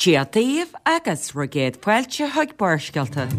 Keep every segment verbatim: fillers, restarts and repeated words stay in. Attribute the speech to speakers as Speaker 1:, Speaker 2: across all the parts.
Speaker 1: Dia daoibh agus bhur gcéad fáilte chuig Barrscéalta.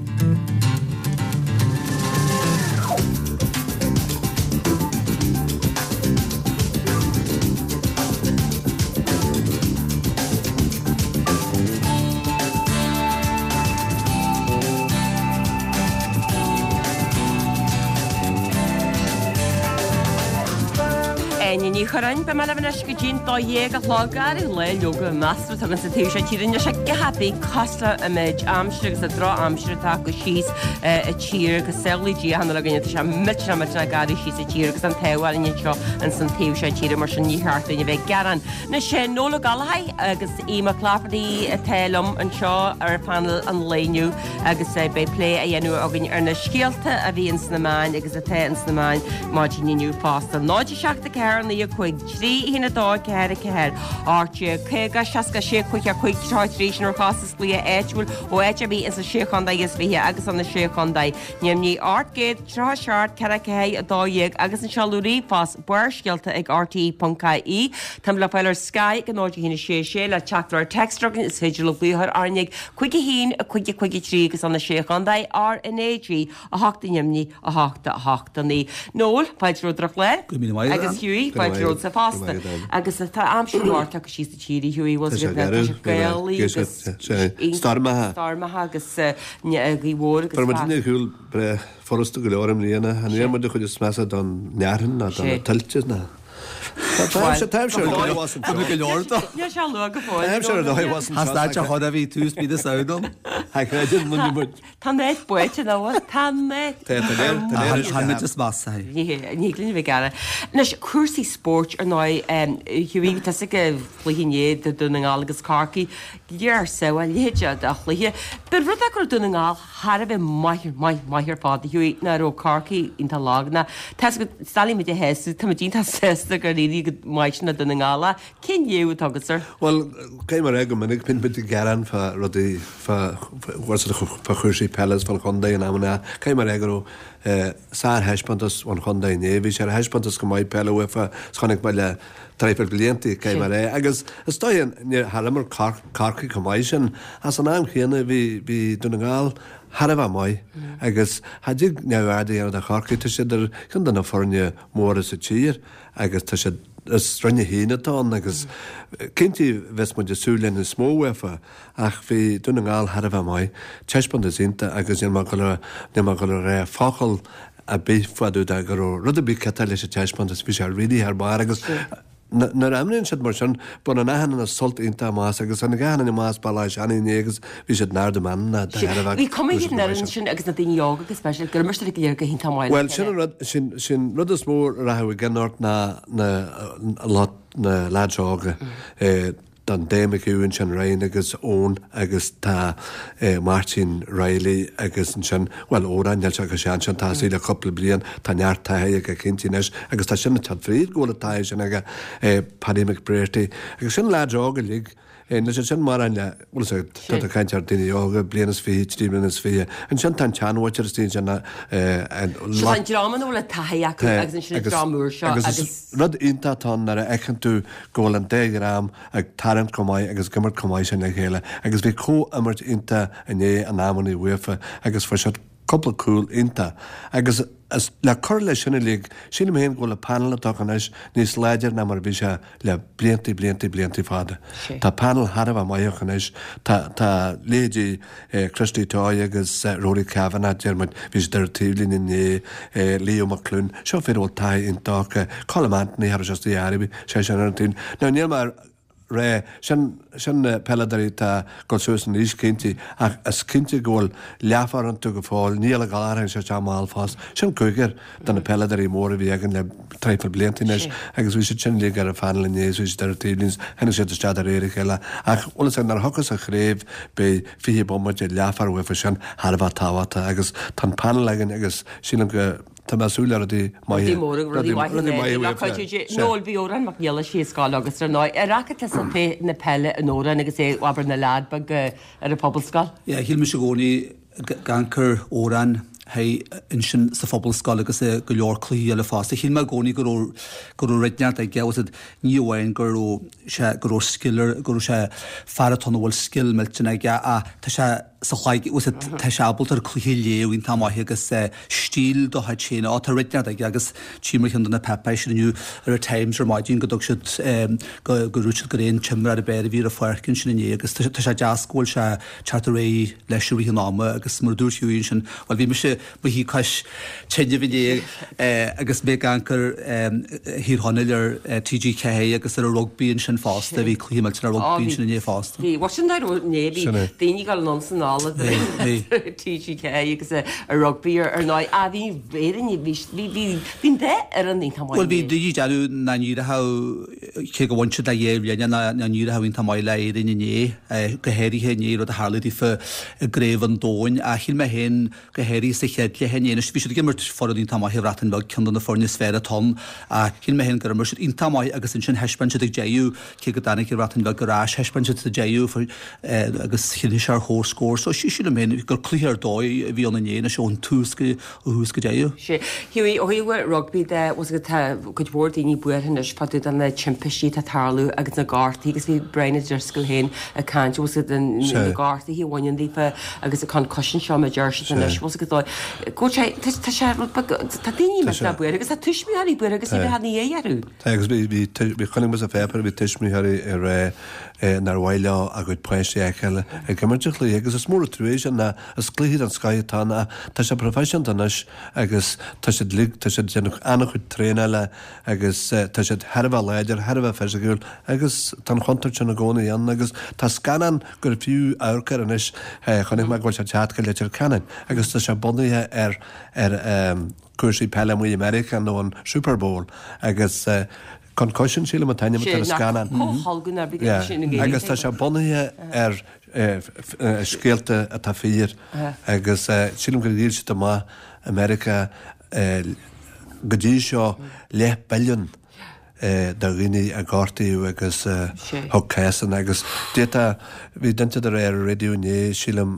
Speaker 1: Áine Ní Churráin, beidh mé libh anois go dtí'n dó dhéag a chlog ar an lá leoga measartha atá againn sa taobh seo tíre anois go happy cosúil le an méid aimsire agus an drochaimsir atá acu síos i tír agus samhlaigh Dia chan fhuil againne tá sé millteanach millteanach garbh síos i tír agus an t-ádh orainn anseo ins an taobh seo tíre mar sin ní cheart dúinn a bheith ag gearán. Anois Noel Ó Gallchóir agus Aodh Mac Laifeartaigh atá liom anseo ar phainéal an lae inniu agus beidh plé á dhéanamh againn ar na scéalta a bhí ins na meáin agus atá ins na meáin maidin inniu fosta. Náid a seacht a ceathair naoi a cúig trí a haon a dó ceathair a ceathair ocht déag caoga seasca sé cúig a cúig tríocha a trí sin ar chostas glaoch áitiúil ó áit ar bith ins na Sé Chontae is Fiche agus sna Sé Chontae Neamhní ocht gcéad tríocha seacht ceathair ceathair a dó dhéag agus an seoladh ríomhphost barrscéalta ag rte ponc ie. Táim le fáil ar Sky ag náid a haon a sé sé le teachtaireacht téacs againn is féidir libh glaoch ar R Na G cúig a haon a cúig a cúig a trí agus sna Sé Chontae R N A G a hocht i Neamhní a hocht a hocht a naoi. Noel, fáilte romhat ar an chlár.
Speaker 2: Go míle maith
Speaker 1: Agus Hughie, fáilte romhatsa fosta. Agus tá aimsir mhór tagtha síos sa tír, a Hughie, bhfuil
Speaker 2: Tá sé garbh,
Speaker 1: gaelaí agus
Speaker 2: Stoirmeacha.
Speaker 1: Stoirmeacha agus gaoth mhór agus
Speaker 2: Fuair muid ar shiúl breá furasta go leor i mbliana. An níor muid a chuid is measa don fhearthainn ná do na tuilte ná. Tá aimsir ar dóigh as an
Speaker 3: Tá go leor dó.
Speaker 1: Níl sé luath go fóill.
Speaker 2: Tá aimsir ar dóigh as an
Speaker 3: Has that a chod a bhí tús bí samdom?
Speaker 2: Ha creidim na muid.
Speaker 1: Tá net buite ná bhfuil? Tá net.
Speaker 2: Tá tá léir tá léir
Speaker 3: Han muid is measa.
Speaker 1: Ní ní glin bheith gearra. Anois cúrsaí spóirt ar ndóigh Hughie tá sa go chluiche inné de Dún na nGall agus Corcaigh léir samhail leithéid de chluiche. Ba rud é go raibh Dún na nGall thar a bheith maith maith maith ar fad Hughie ná raibh Corcaigh iontach lag ná tá go stálaí muid a théasú tá muid iontach sásta gur éirigh go maith sin le Dún na nGall cén léamh atá agat sir?
Speaker 2: Bhuel caithfidh mé a rá go minic bíonn muid ag gearán fá rudaí fá fá chúrsaí peile is fán chontae in amanna caithfidh mé a rá go raibh sárthaispeántas ón chontae inné bhí sé ar thaispeántas go maith peile uafa is chonaic mé le traidhfil blianta caithfidh mé a rá agus is dóigh níor thar imir Corcaigh chomh maith sin as an am chéanna bhí bhí Dún na nGall thar a bheith maith agus cha dtig neamhaird a dhéanamh de Chorcaigh tá siad ar cheann de na foirne móra sa tír agus tá siad is Roinn a haon atá ann agus cinnte bheas muid ag súil le níos mó uafa ach bhí Dún na nGall thar a bheith maith taispeántas iontach agus níl mé ag dul níl mé ag dul a rá focal ar bith fá dtaobh de go raibh rud ar bith ciotach leis an taispeántas bhí sé really thar barr agus nuair a imríonn siad mar sin baineann achan duine sult iontach amach as agus tháinig achan duine amach as Béal Átha Seanaidh inné agus bhí siad in ard a meanmna de thairbhe
Speaker 1: Bhí cuma iad an fhoireann sin agus na daoine óga go speisialta gur imir siad go léir go hiontach maith le
Speaker 2: Bhuel sin an rud sin sin rud is mó a rachadh i gcion ort ná na lot na lads óga. Tá Dave McHugh ansin Ryan agus Eoin agus tá Máirtín Reilly agus ansin bhuel Odhrán níl sé chomh sean sin tá sé le cúpla bliain tá neart taithí aige cinnte anois agus tá sin ag teacht fríd go bhfuil an taithí sin aige Paddy McBrearty agus sin lads óga uilig níl siad sin mórán le bhuel is tá tú ag caint ar daoine óga bliain is fiche trí bliana is fiche ansin tá an tseanmhuintir istigh ansin an
Speaker 1: Seo tá an dream ina bhfuil an taithí acu agus ansin an dream úr seo
Speaker 2: agus
Speaker 1: agus
Speaker 2: rud iontach atá ann nuair a fheiceann tú go bhfuil an dá dhream ag tarraingt chomh maith agus ag imirt chomh maith sin le chéile agus bhí comhimirt iontach inné in amanna uafa agus fuair siad cúpla cúl iontach agus is le cur leis sin uilig sílim féin go bhfuil an panel atá acu anois níos láidir ná mar a bhí sé le blianta blianta blianta fada. Tá panel thar a bheith maith acu anois tá tá leithéidí Christy Toye agus Rory Kavanagh deir muid bhí siad ar an taobhlíne inné Leo McLoone seo fir a bhfuil taithí iontach acu Colm Anthony thar sé istigh ar sé sin ar an taobh. Now níl mé rá sin sin na peileadóirí atá ag dul suas in aois cinnte ach is cinnte go bhfuil leathfhear iontu go fóill Niall Ó Gallchóir sé isteach mall fós sin cúigear de na peileadóirí móra a bhí againn le traidhfil blianta anois agus bhí siad sin uilig ar an phanel inné is bhí siad ar an taobhlíne tháinig siad isteach de réir a chéile ach bhfuil a fhios agat nuair a thiocfas an chraobh beidh fiche bomaite leathfhear uafa sin thar a bheith tábhachtach agus tá an panel againn agus sílim go tá mé ag súil le rudaí maithe
Speaker 1: Rudaí móra, rudaí maithe
Speaker 2: rudaí maithe
Speaker 1: le
Speaker 2: uafa.
Speaker 1: cuidiú. Noel bhí Odhrán Mac Niallais ar scoil agus ar ndóigh ar fhaca tusa féith na peile in Odhrán agus é abair ina leaid beag ar an phobalscoil?
Speaker 3: Yeah, shíl mise i gcónaí gan cur Odhrán Hey, ansin sa phobalscoil agus i go leor cluichí eile fosta. Shíl mé i gcónaí go raibh go raibh rud inteacht aige, was it, ní amháin go raibh sé go raibh scil ar go raibh sé fear atá ann a bhfuil scil millteanach aige ach tá sé sa chlaig was it, tá sé ábalta ar cluiche a léamh iontach maith agus stíl dá chuid féin. Á, tá rud inteacht aige agus tchí mar cheann de na páipéis sin inniu ar an Times ar maidin go dtug siad go go raibh siad gur aon t-imreoir ab fhearr a bhí ar an pháirc ansin inné agus tá sé deas go bhfuil sé teacht ar aghaidh leis i rith an ama agus mar a dúirt Hughie ansin, bhuel bhí mise mo shuí cois tine inné agus mé ag amharc ar Thír Chonaill ar T G ceathair agus ar an rugbaí ansin fosta, bhí cluiche millteanach rugbaí ansin inné fosta.
Speaker 1: Bhí, bhuel sin dar inné, bhí daoine ag dul anonn san ála T G ceathair agus ar rugbaí ar ndóigh. Ah bhí Éirinn, bhí, bhí, bhí, bhí an dá fhoireann iontach maith
Speaker 3: Bhuel bhí daoine ag déanamh nach n-éireodh, cé go bhain siad le dhá bhliain, nach n-éireodh iontach maith le Éirinn inné, go háirithe inné rud a tharla daofa i gCraobh an Domhain. Ach shíl mé féin, go háirithe sa chéad chluiche inné, anois bhí siad ag imirt foireann iontach maith, an Bhreatain Bheag, ceann de na foirne is fearr atá ann, ach shíl mé féin gur imir siad iontach maith agus ansin thaispeáin siad ag deireadh, cé go dtáinig an Bhreatain Bheag ar ais, thaispeáin siad sa deireadh agus shínigh sé ar chomhscór. So sílim féin gur cluiche ar dóigh a bhí ann inné, anois ón tús go, ó thús go deireadh.
Speaker 1: Sea. Hughie, ó thaobh rugbaí de, bhfuil 's agat, tá cuid mhór daoine buartha anois fá dtaobh de na timpistí atá ag tarlú agus na gortuithe agus bhí Brian O'Driscoll féin ag caint, bhfuil 's agat, na gortuithe a bhaineann daofa agus an concussion seo mar a deir siad anois, bhfuil 's agat, go bhfuil sé, tá sé rud beag, tá daoine millteanach buartha agus tá tuismitheoirí buartha agus iad a bheith ina dhiaidh orthu.
Speaker 2: Tá agus bhí, bhí, bhí, chonaic mé sa pháipéar, bhí tuismitheoirí ag rá nár mhaith leo a gcuid páistí a fheiceáil ag imirt an chluiche agus is mór an trua sin ná is cluiche den scoth atá ann ach tá sé proifisiúnta anois agus tá siad uilig, tá siad ag déanamh an-chuid traenála agus tá siad thar a bheith láidir, thar a bheith fisiciúil agus tá an chontúirt sin i gcónaí ann agus tá scannán gur fiú amharc air anois, chonaic mé go bhfuil sé ag teacht go Leitir Ceanainn agus tá sé bunaithe ar ar cúrsaí peile amuigh i Meiriceá nó an Super Bowl agus Concussion sílim an t-ainm atá ar an scannán. Agus tá sé bunaithe ar scéalta atá fíor agus sílim gur dhíol siad amach i Meiriceá go dtí seo leath billiún de dhaoine a gortaíodh agus thug cásanna agus d'fhéadfadh, bhí duine ag rá ar an raidió inné, sílim,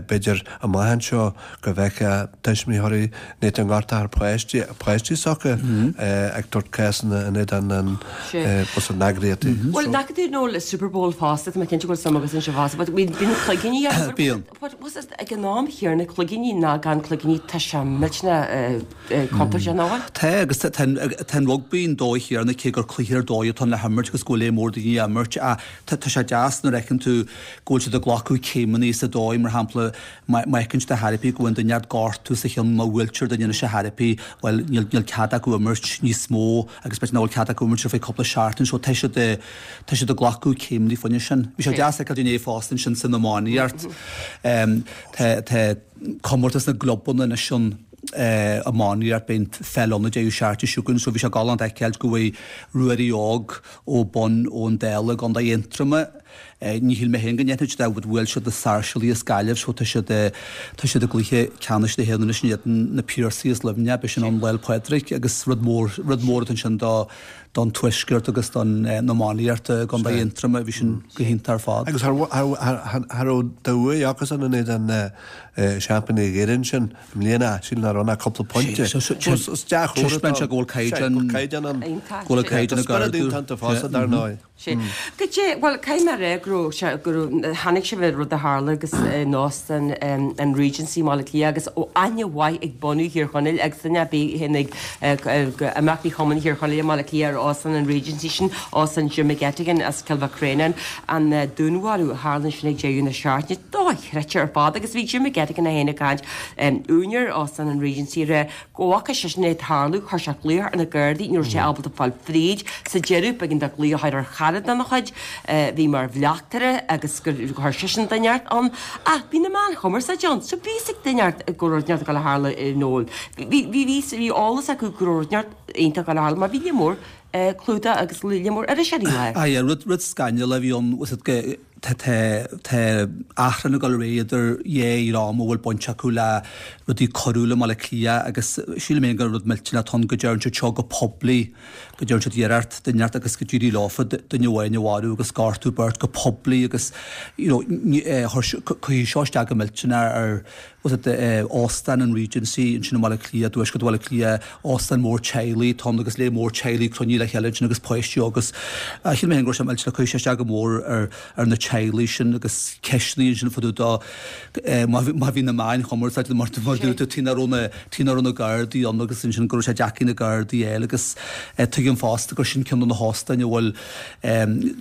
Speaker 2: b'fhéidir amach anseo go bhfeicfeá tuismitheoirí ní an ngortófar páistí, páistí s'acu ag tabhairt cásanna in éadan an bus an eagraíochtaí.
Speaker 1: Bhuel, nach tú nó le Super Bowl fosta, tá mé cinnte go bhfuil suim agat ansin fosta, but bíonn cloigíní ann.
Speaker 3: Bíonn.
Speaker 1: But was it ag an am chéanna cloigíní ná gan cloigíní, tá sé millteanach contúirteach nach bhfuil?
Speaker 3: Tá, agus tá an rugbaí an dóigh chéanna cé gur cluiche ar dóigh atá ann le himirt agus go bhfuil lear mór daoine á imirt ach tá sé deas nuair a fheiceann tú go bhfuil siad ag glacadh céimeanna sa dóigh, mar shampla, má fheiceann siad ar chor ar bith go bhfuil duine inteacht gortú sa cheann, má bhuailtear duine anois ar chor ar bith, bhuel, níl níl cead acu imirt níos mó agus b'fhéidir nach bhfuil cead acu imirt ar feadh cúpla seachtain so tá siad tá siad ag glacadh céimeanna fá choinne sin. Bhí sé deas a fheiceáil inné fosta ansin san iománaíocht. Tá tá comórtas na gclubanna anois ann iománaíocht, beidh an pheil ann an deireadh seachtaine seo chugainn so bhí sé galánta a fheiceáil go bhfuair Ruairí Óg ó Bun ón Dála i gContae Aontroma, ní shíl mé féin go ndéanfadh siad é but bhuail siad na Sáirséalaigh as Gaillimh so tá siad tá siad i gcluiche ceannais na hÉireann anois in éadan na Piarsaigh as Luimneach, beidh sin ann Lá 'le Pádraig agus rud mór rud mór atá ansin do don tuaisceart agus don iománaíocht i gContae Aontroma, bhí sin go hiontach ar fad.
Speaker 2: Agus cha raibh de bhuaidh acusan in éadan seaimpíní Éireann sin i mbliana, sílim nach raibh ach cúpla pointe. Is dea-chomhartha
Speaker 3: Taispeánann sé go bhfuil caighdeán
Speaker 2: caighdeán ann.
Speaker 3: Go bhfuil caighdeán ag
Speaker 2: ardú. Tá spiorad iontach iontu fosta, dar ndóigh.
Speaker 1: Sin. Goidé, bhuel, caithfidh mé a rá go raibh sé, go raibh, chonaic sibh an rud a tharla agus in Óstán an Regency i mBaile Átha Cliath agus ó aithne mhaith ag bunadh Thír Chonaill agus duine ar bith a théann ag imeachtaí Chumann Thír Chonaill i mBaile Átha Cliath ar Óstán an Regency sin, Óstán Jim McGettigan as Cill Mhic Réanáin, an dúnmharú a tharla ansin ag deireadh na seachtaine, dochreidte ar fad agus bhí Jim McGettigan é féin ag caint, úinéir Óstán an Regency, ag rá go bhfaca seisean é ag tarlú, chuir sé glaoch ar na Gardaí, ní raibh sé ábalta fáil fríd, sa deireadh b'éigean dó glaoch a chur ar chara dena chuid a bhí mar bhleachtaire agus gur chuir seisean duine inteacht ann. Ach bhí na meáin chumarsáide ann, so bhí fhios ag duine inteacht go raibh rud inteacht ag dul a tharlú i Noel. Bhí, bhí, bhí, bhí eolas acu go raibh rud inteacht iontach ag dul a tharlú mar bhí lear mór clúdach agus lear mór iriseoirí ann.
Speaker 3: Ah yeah, rud, rud scannalach a bhí ann, was it go, tá, tá, tá achrann ag dul ar aghaidh idir dhá dhream a bhfuil baint acu le rudaí coiriúla i mBaile Átha Cliath agus sílim féin gur rud millteanach atá ann go deireann siad seo go poiblí, go deireann siad iarracht duine inteacht agus go d'éirigh leofa duine amháin a mharú agus gortú beirt go poiblí agus you know ní, eh, chuir, cuirfidh seo isteach go millteanach ar was it Óstán an Regency ansin i mBaile Átha Cliath, dtuaisceart Bhaile Átha Cliath, óstán mór teaghlaigh atá ann agus lear mór teaghlaigh cruinnithe le chéile ansin agus páistí agus shíl mé féin go raibh sé millteanach, chuir sé isteach go mór ar ar na teaghlaigh sin agus ceisteanna ansin fá dtaobh de má má bhí na meáin chumarsáide mar mar dúirt tú tuige nach raibh na tuige nach raibh na Gardaí ann agus ansin go raibh sé deacair na Gardaí a fháil agus tuigim fosta gur sin ceann de na hóstáin a bhfuil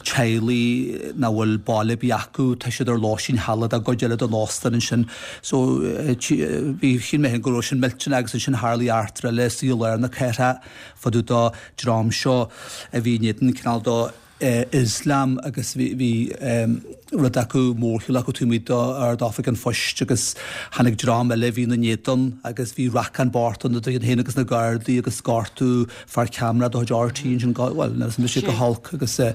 Speaker 3: teaghlaigh nach bhfuil baile ar bith acu, tá siad ar lóistín shealadach i gcuid eile den óstán ansin. So bhí, shíl mé féin go raibh sin millteanach agus ansin tharlaigh eachtra eile istigh i lár na cathrach fá dtaobh de dream seo a bhí in éadan cineál de Ioslam agus bhí, bhí rud acu, mórshiúl acu taobh amuigh d'Ard-Oifig an Phoist agus tháinig dream eile a bhí ina n-éadan agus bhí racán bocht ann idir iad féin agus na Gardaí agus gortú fear ceamara de chuid RTÉ ansin, bhuel, níl a fhios go holc agus tá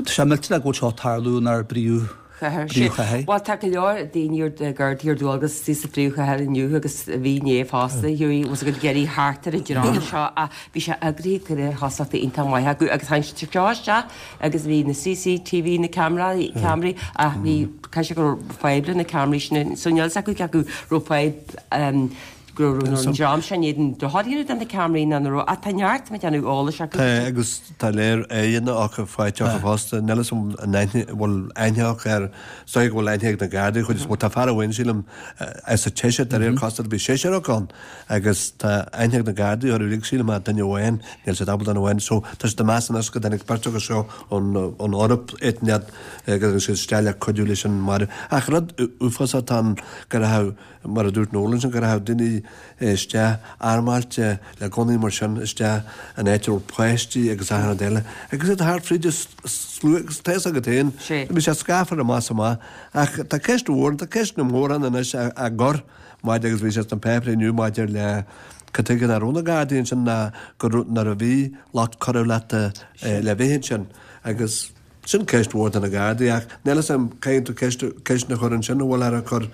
Speaker 3: sé millteanach go bhfuil seo ag tarlú inár bpríomh
Speaker 1: Príomhchathair. Bhuel, tá go leor daoine ar Gardaí ar dualgas istigh sa phríomhchathair inniu agus bhí inné fosta, Hughie, was ag iarraidh thart ar an dream seo ach bhí sé eagraithe go réir thosachta iontach maith acu agus tháinig siad seo isteach agus bhí na CCTV, na ceamaraí, ceamaraí ach bhí, caithfidh sé go raibh fadhb le na ceamaraí sin so níl a fhios acu cé acu raibh fadhb go raibh an dream seo in éadan dochar a dhéanamh do na ceamaraí nó nach raibh ach tá neart mé déanamh eolais acu.
Speaker 2: Tá agus tá léir aghaidheanna acu faighte acu fosta. Níl 'fhios agam an aithne bhfuil aithne acu ar is dóigh go bhfuil aithne ag na Gardaí chuid is mó. Tá fear amháin sílim as an tSeisear de réir cosúlachta bhí seisear acu ann agus tá aithne ag na Gardaí orthu uilig sílim ach duine amháin níl siad ábalta duine amháin so tá siad ag meas anois go dtáinig beirt acu seo ón ón Eoraip áit inteacht go dtáinig siad isteach le cuidiú leis an marú. Ach rud uafásach atá ann go raibh mar a dúirt Noel ansin, go raibh daoine isteach armáilte le gunnaí mar sin isteach in áit a raibh páistí agus achan rud eile agus iad thart fríd an slua agus tá fhios agat féin, bhí sé scáfar amach is amach. Ach tá ceist mhór, tá ceisteanna móra ann anois á gcur maidir agus bhí sé sna páipéirí inniu maidir le cad tuige nach raibh na Gardaí ansin ná go raibh nuair a bhí lucht coireachta le bheith ansin agus Sin ceist mhór do na Gardaí ach níl fhios a'm, caithfidh tú ceist, ceisteanna a chur ansin an bhfuil ar cur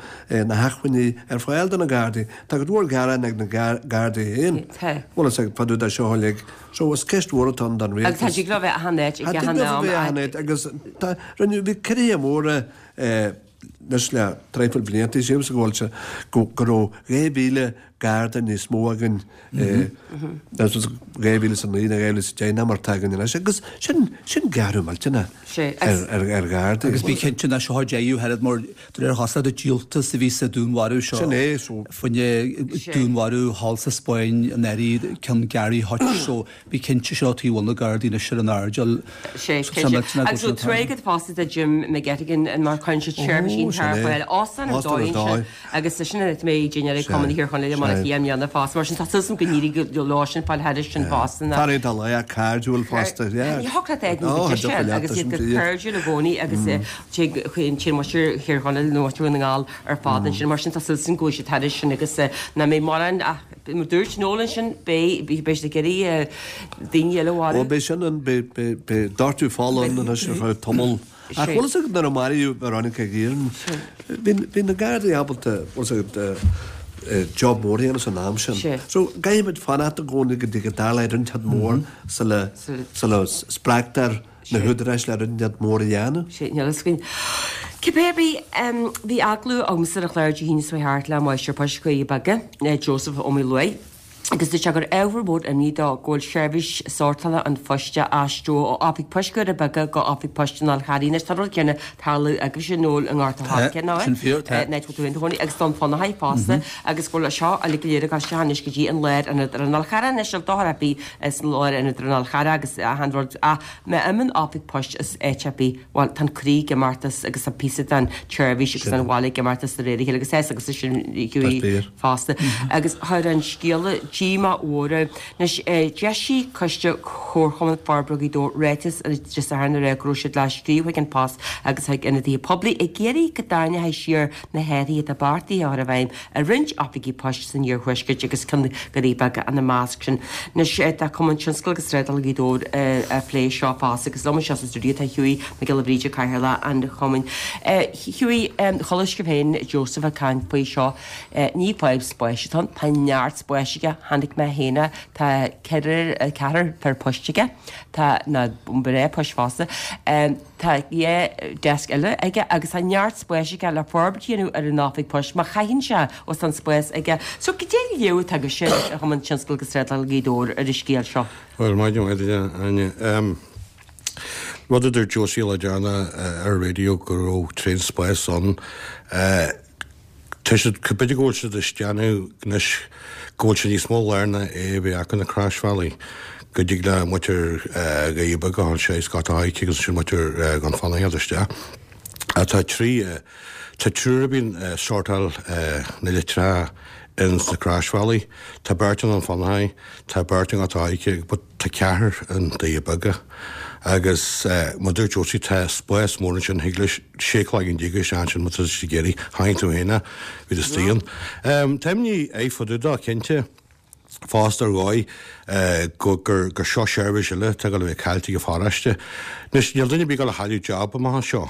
Speaker 2: na hacmhainní ar fáil do na Gardaí. Tá cuid mhór gearán ag na Gardaí féin.
Speaker 1: Tá.
Speaker 2: Bhfuil fhios a'd fá dtaobh de seo uilig. So is ceist mhór atá ann don
Speaker 1: rialtas. Agus tá tig leo bheith achan áit ag
Speaker 2: Tá
Speaker 1: achan
Speaker 2: tig leo
Speaker 1: am.
Speaker 2: bheith achan áit agus tá, rinneadh, bhí ciorruithe móra anois le traidhfil blianta, sílimse go bhfuil sé, go, go raibh dhá mhíle Garda níos mó againn dhá mhíle is a naoi nó dhá mhíle is a deich ná mar atá againn anois agus sin sin gearradh millteanach ar ar Ghardaí.
Speaker 3: Agus bí cinnte nach seo deireadh oiread mar de réir chosúlachta díoltas a bhí sa dúnmharú seo.
Speaker 2: Sin é so.
Speaker 3: Fá choinne dúnmharú thall sa Spáinn anuraidh ceann Gary Hutch so bí cinnte seo taobh na Gardaí anois ar an airdeall.
Speaker 1: Sé cinnte. Agus so tréigead fosta do Jim McGettigan mar chuireann siad seirbhísí ar fáil. Óstán ar dóigh ansin agus sin an mé déine Cumann Thír Chonaill i mBaile Átha Cliath i mbliana fosta, mar sin tá súil agam go n-éireoidh leo sin fáil thairis sin fosta.
Speaker 2: Fear iontach lách cairdiúil fosta.
Speaker 1: Ní thiocfadh leat éigean go dtí agus iad go cairdiúil i gcónaí agus téigh téann muintir Thír Chonaill nó muintir Dhún na nGall ar fad ansin mar sin tá súil agam go bhfuil siad thairis sin agus nach mbeidh mórán ach mar dúirt Noel ansin beidh beidh siad ag iarraidh daoine eile a mharú.
Speaker 2: Ó beidh sin an beidh beidh beidh doirteadh fola ann anois ar feadh tamaill. Ach bhfuil fhios agat nuair a maraíodh Veronica Guerin, bhí bhí na Gardaí ábalta bhfuil fhios agat job mór a dhéanamh san am sin. So caithfimid fanacht i gcónaí go dtí go dtarlaíonn rud inteacht mór sula sula spreagtar na húdaráis le rud inteacht mór a dhéanamh.
Speaker 1: Sea, níl fhios againn. Cibé ar bith, bhí agallamh agamsa ar an chlár Dé hAoine seo thart le Máistir Poist Dhoirí Beaga, Joseph Ó Maoileoin, agus dúirt sé gur ábhar mór imní dó go bhfuil seirbhís sórtála an phoist á aistriú ó Oifig Poist Dhoirí Beaga go Oifig Poist an Fháil Charraigh. Anois tá an rud céanna ag tarlú agaibhse Noel i nGort a'
Speaker 3: Tá,
Speaker 1: Choirce, nach
Speaker 3: sin fíor, tá.
Speaker 1: ea? An áit a bhfuil tú féin i do chónaí agus Dún Fionnachaidh fosta agus go bhfuil seo uilig go léir ag dul isteach anois go dtí an lárionad ar an Fhál Charrach anois, níl dochar ar bith san lárionad ar an Fhál Charrach agus achan rud ach má imíonn oifig poist as áit ar bith, bhuel, tá an croí ag imeacht as agus tá píosa den tseirbhís agus den bhaile ag imeacht as de réir a chéile agus é agus sin Hughie fosta. Agus chuir an scéala díomá mhór air. Anois, d'eisigh Coiste Chomharchumann Forbartha Ghaoth Dobhair ráiteas ar Dé Sathairn a rá go raibh siad le scríobh chuig An Post agus chuig ionadaithe poiblí ag iarraidh go dtarraingeofaí siar na hathruithe atá beartaithe a chur i bhfeidhm ar roinnt oifigí poist san iarthuaisceart agus ceann Dhoirí Beaga ina measc sin. Anois, tá Cumann Tionscail agus Trádála Ghaoth Dobhair ag plé seo fosta agus liom anseo sa stiúideo tá Hughie Mac Giolla Bhríde, Cathaoirleach an Chumainn. Hughie, chuala sibh féin Joseph ag caint faoi seo. Ní fadhb spáis atá ann, tá neart spáis aige, Chonaic mé féin é, tá ceithre, ceathrar fear poist aige, tá na mná poist fosta, tá dhá deasc eile aige agus tá neart spáis aige le forbairt a dhéanamh ar an oifig poist má chaitheann sé os an spás aige. So goidé an léamh atá agaibhse ar Chumann Tionscail agus Trádála Ghaoth Dobhair ar an scéal seo?
Speaker 4: Bhuel, maidin mhaith duit, a Áine. Rud a dúirt Josie le déanaí ar an raidió go raibh tréan spáis ann. Tá siad, b'fhéidir go bhfuil siad ag déanamh anois go bhfuil sé níos mó lárnach é a bheith acu na croisbhealaí go dtig le muintir Dhoirí Beaga a dhul síos Gort a' Choirce agus ansin muintir Dhún Fionnachaidh a dhul isteach. Tá trí, tá triúr a bhíonn ag sórtáil na litreacha ins na croisbhealaí. Tá beirt i nDún Fionnachaidh, tá beirt i nGort a' Choirce but tá ceathrar i nDoirí Beaga. Agus mar a dúirt Josie tá spás mór ansin, thig le sé cloigeann déag isteach ansin má tá siad ag iarraidh. Chonaic tú féin é, bhí tú istigh ann. Tá imní air fá dtaobh dó, cinnte, fosta ar dhóigh go gur gur seo seirbhís eile atá ag dul a bheith caillte ag an pharóiste. Anois níl duine ar bith ag dul a chailleadh job amach anseo.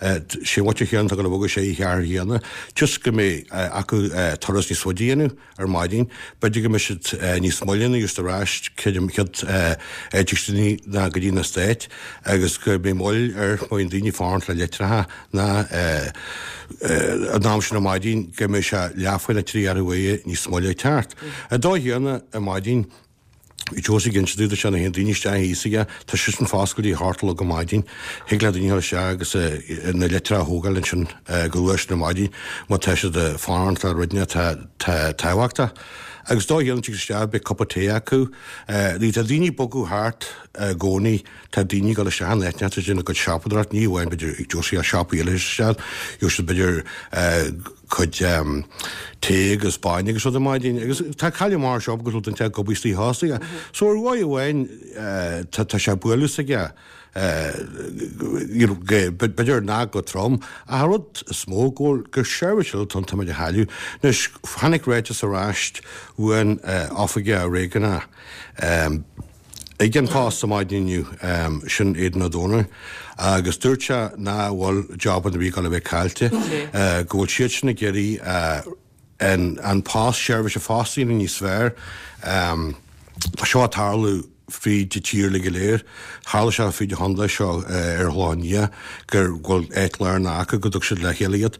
Speaker 4: Sé an mhuintir chéanna atá ag dul a bhogadh sé cheathair chéanna, just go mbeidh acu turas níos faide a dhéanamh ar maidin. B'fhéidir go mbeidh siad níos moille ina just ar ais creidim chéad áit daoine ná go dtí na Stáit agus go mbeidh moill ar má bhíonn daoine ag fanacht le litreacha ná an am sin ar maidin go mbeidh sé leathuair nó trí cheathrú uaire níos moille ag teacht. Ar dóigh chéanna ar maidin Bhí Josie ag inse dúinn nuair a théann daoine isteach thíos aige, tá sé sin foscailte a hocht a chlog ar maidin. Thig le daoine dul isteach agus na litreacha a thógáil ansin go luath sin ar maidin má tá siad ag fanacht le rud atá tábhachtach. Agus dóigh chéanna tig isteach beidh cupa tae acu. Tá daoine ag bogadh thart i gcónaí, tá daoine ag dul isteach in áiteanna, tá siad ag déanamh a gcuid siopadóireacht, ní amháin b'fhéidir ag Josie ach siopaí eile isteach, gheobhaidh siad b'fhéidir cuid tae agus bainne agus rud ar maidin agus tá cailleadh mar seo agus rud inteacht ag obair istigh fosta. So ar dhóigh amháin tá tá sé ag bualadh s'aige you know b'fhéidir nach go trom ach an rud is mó go bhfuil gur seirbhís eile atá ann táimid a chailleadh. Anois tháinig ráiteas ar ais uain oifigeach réigiúnach Ag an Post ar maidin inniu, sin Aidan Ó Dónaill, agus dúirt sé nach bhfuil jobanna ar bith ag dul a bheith caillte, go bhfuil siad sin ag iarraidh an post, seirbhís an phost a dhéanamh níos fearr. Tá seo ag tarlú fríd an tír uilig go léir. Tharla sé fríd an chontae seo ar an Chlochán Liath gur bhfuil áit lárnach acu go dtug siad le chéile iad.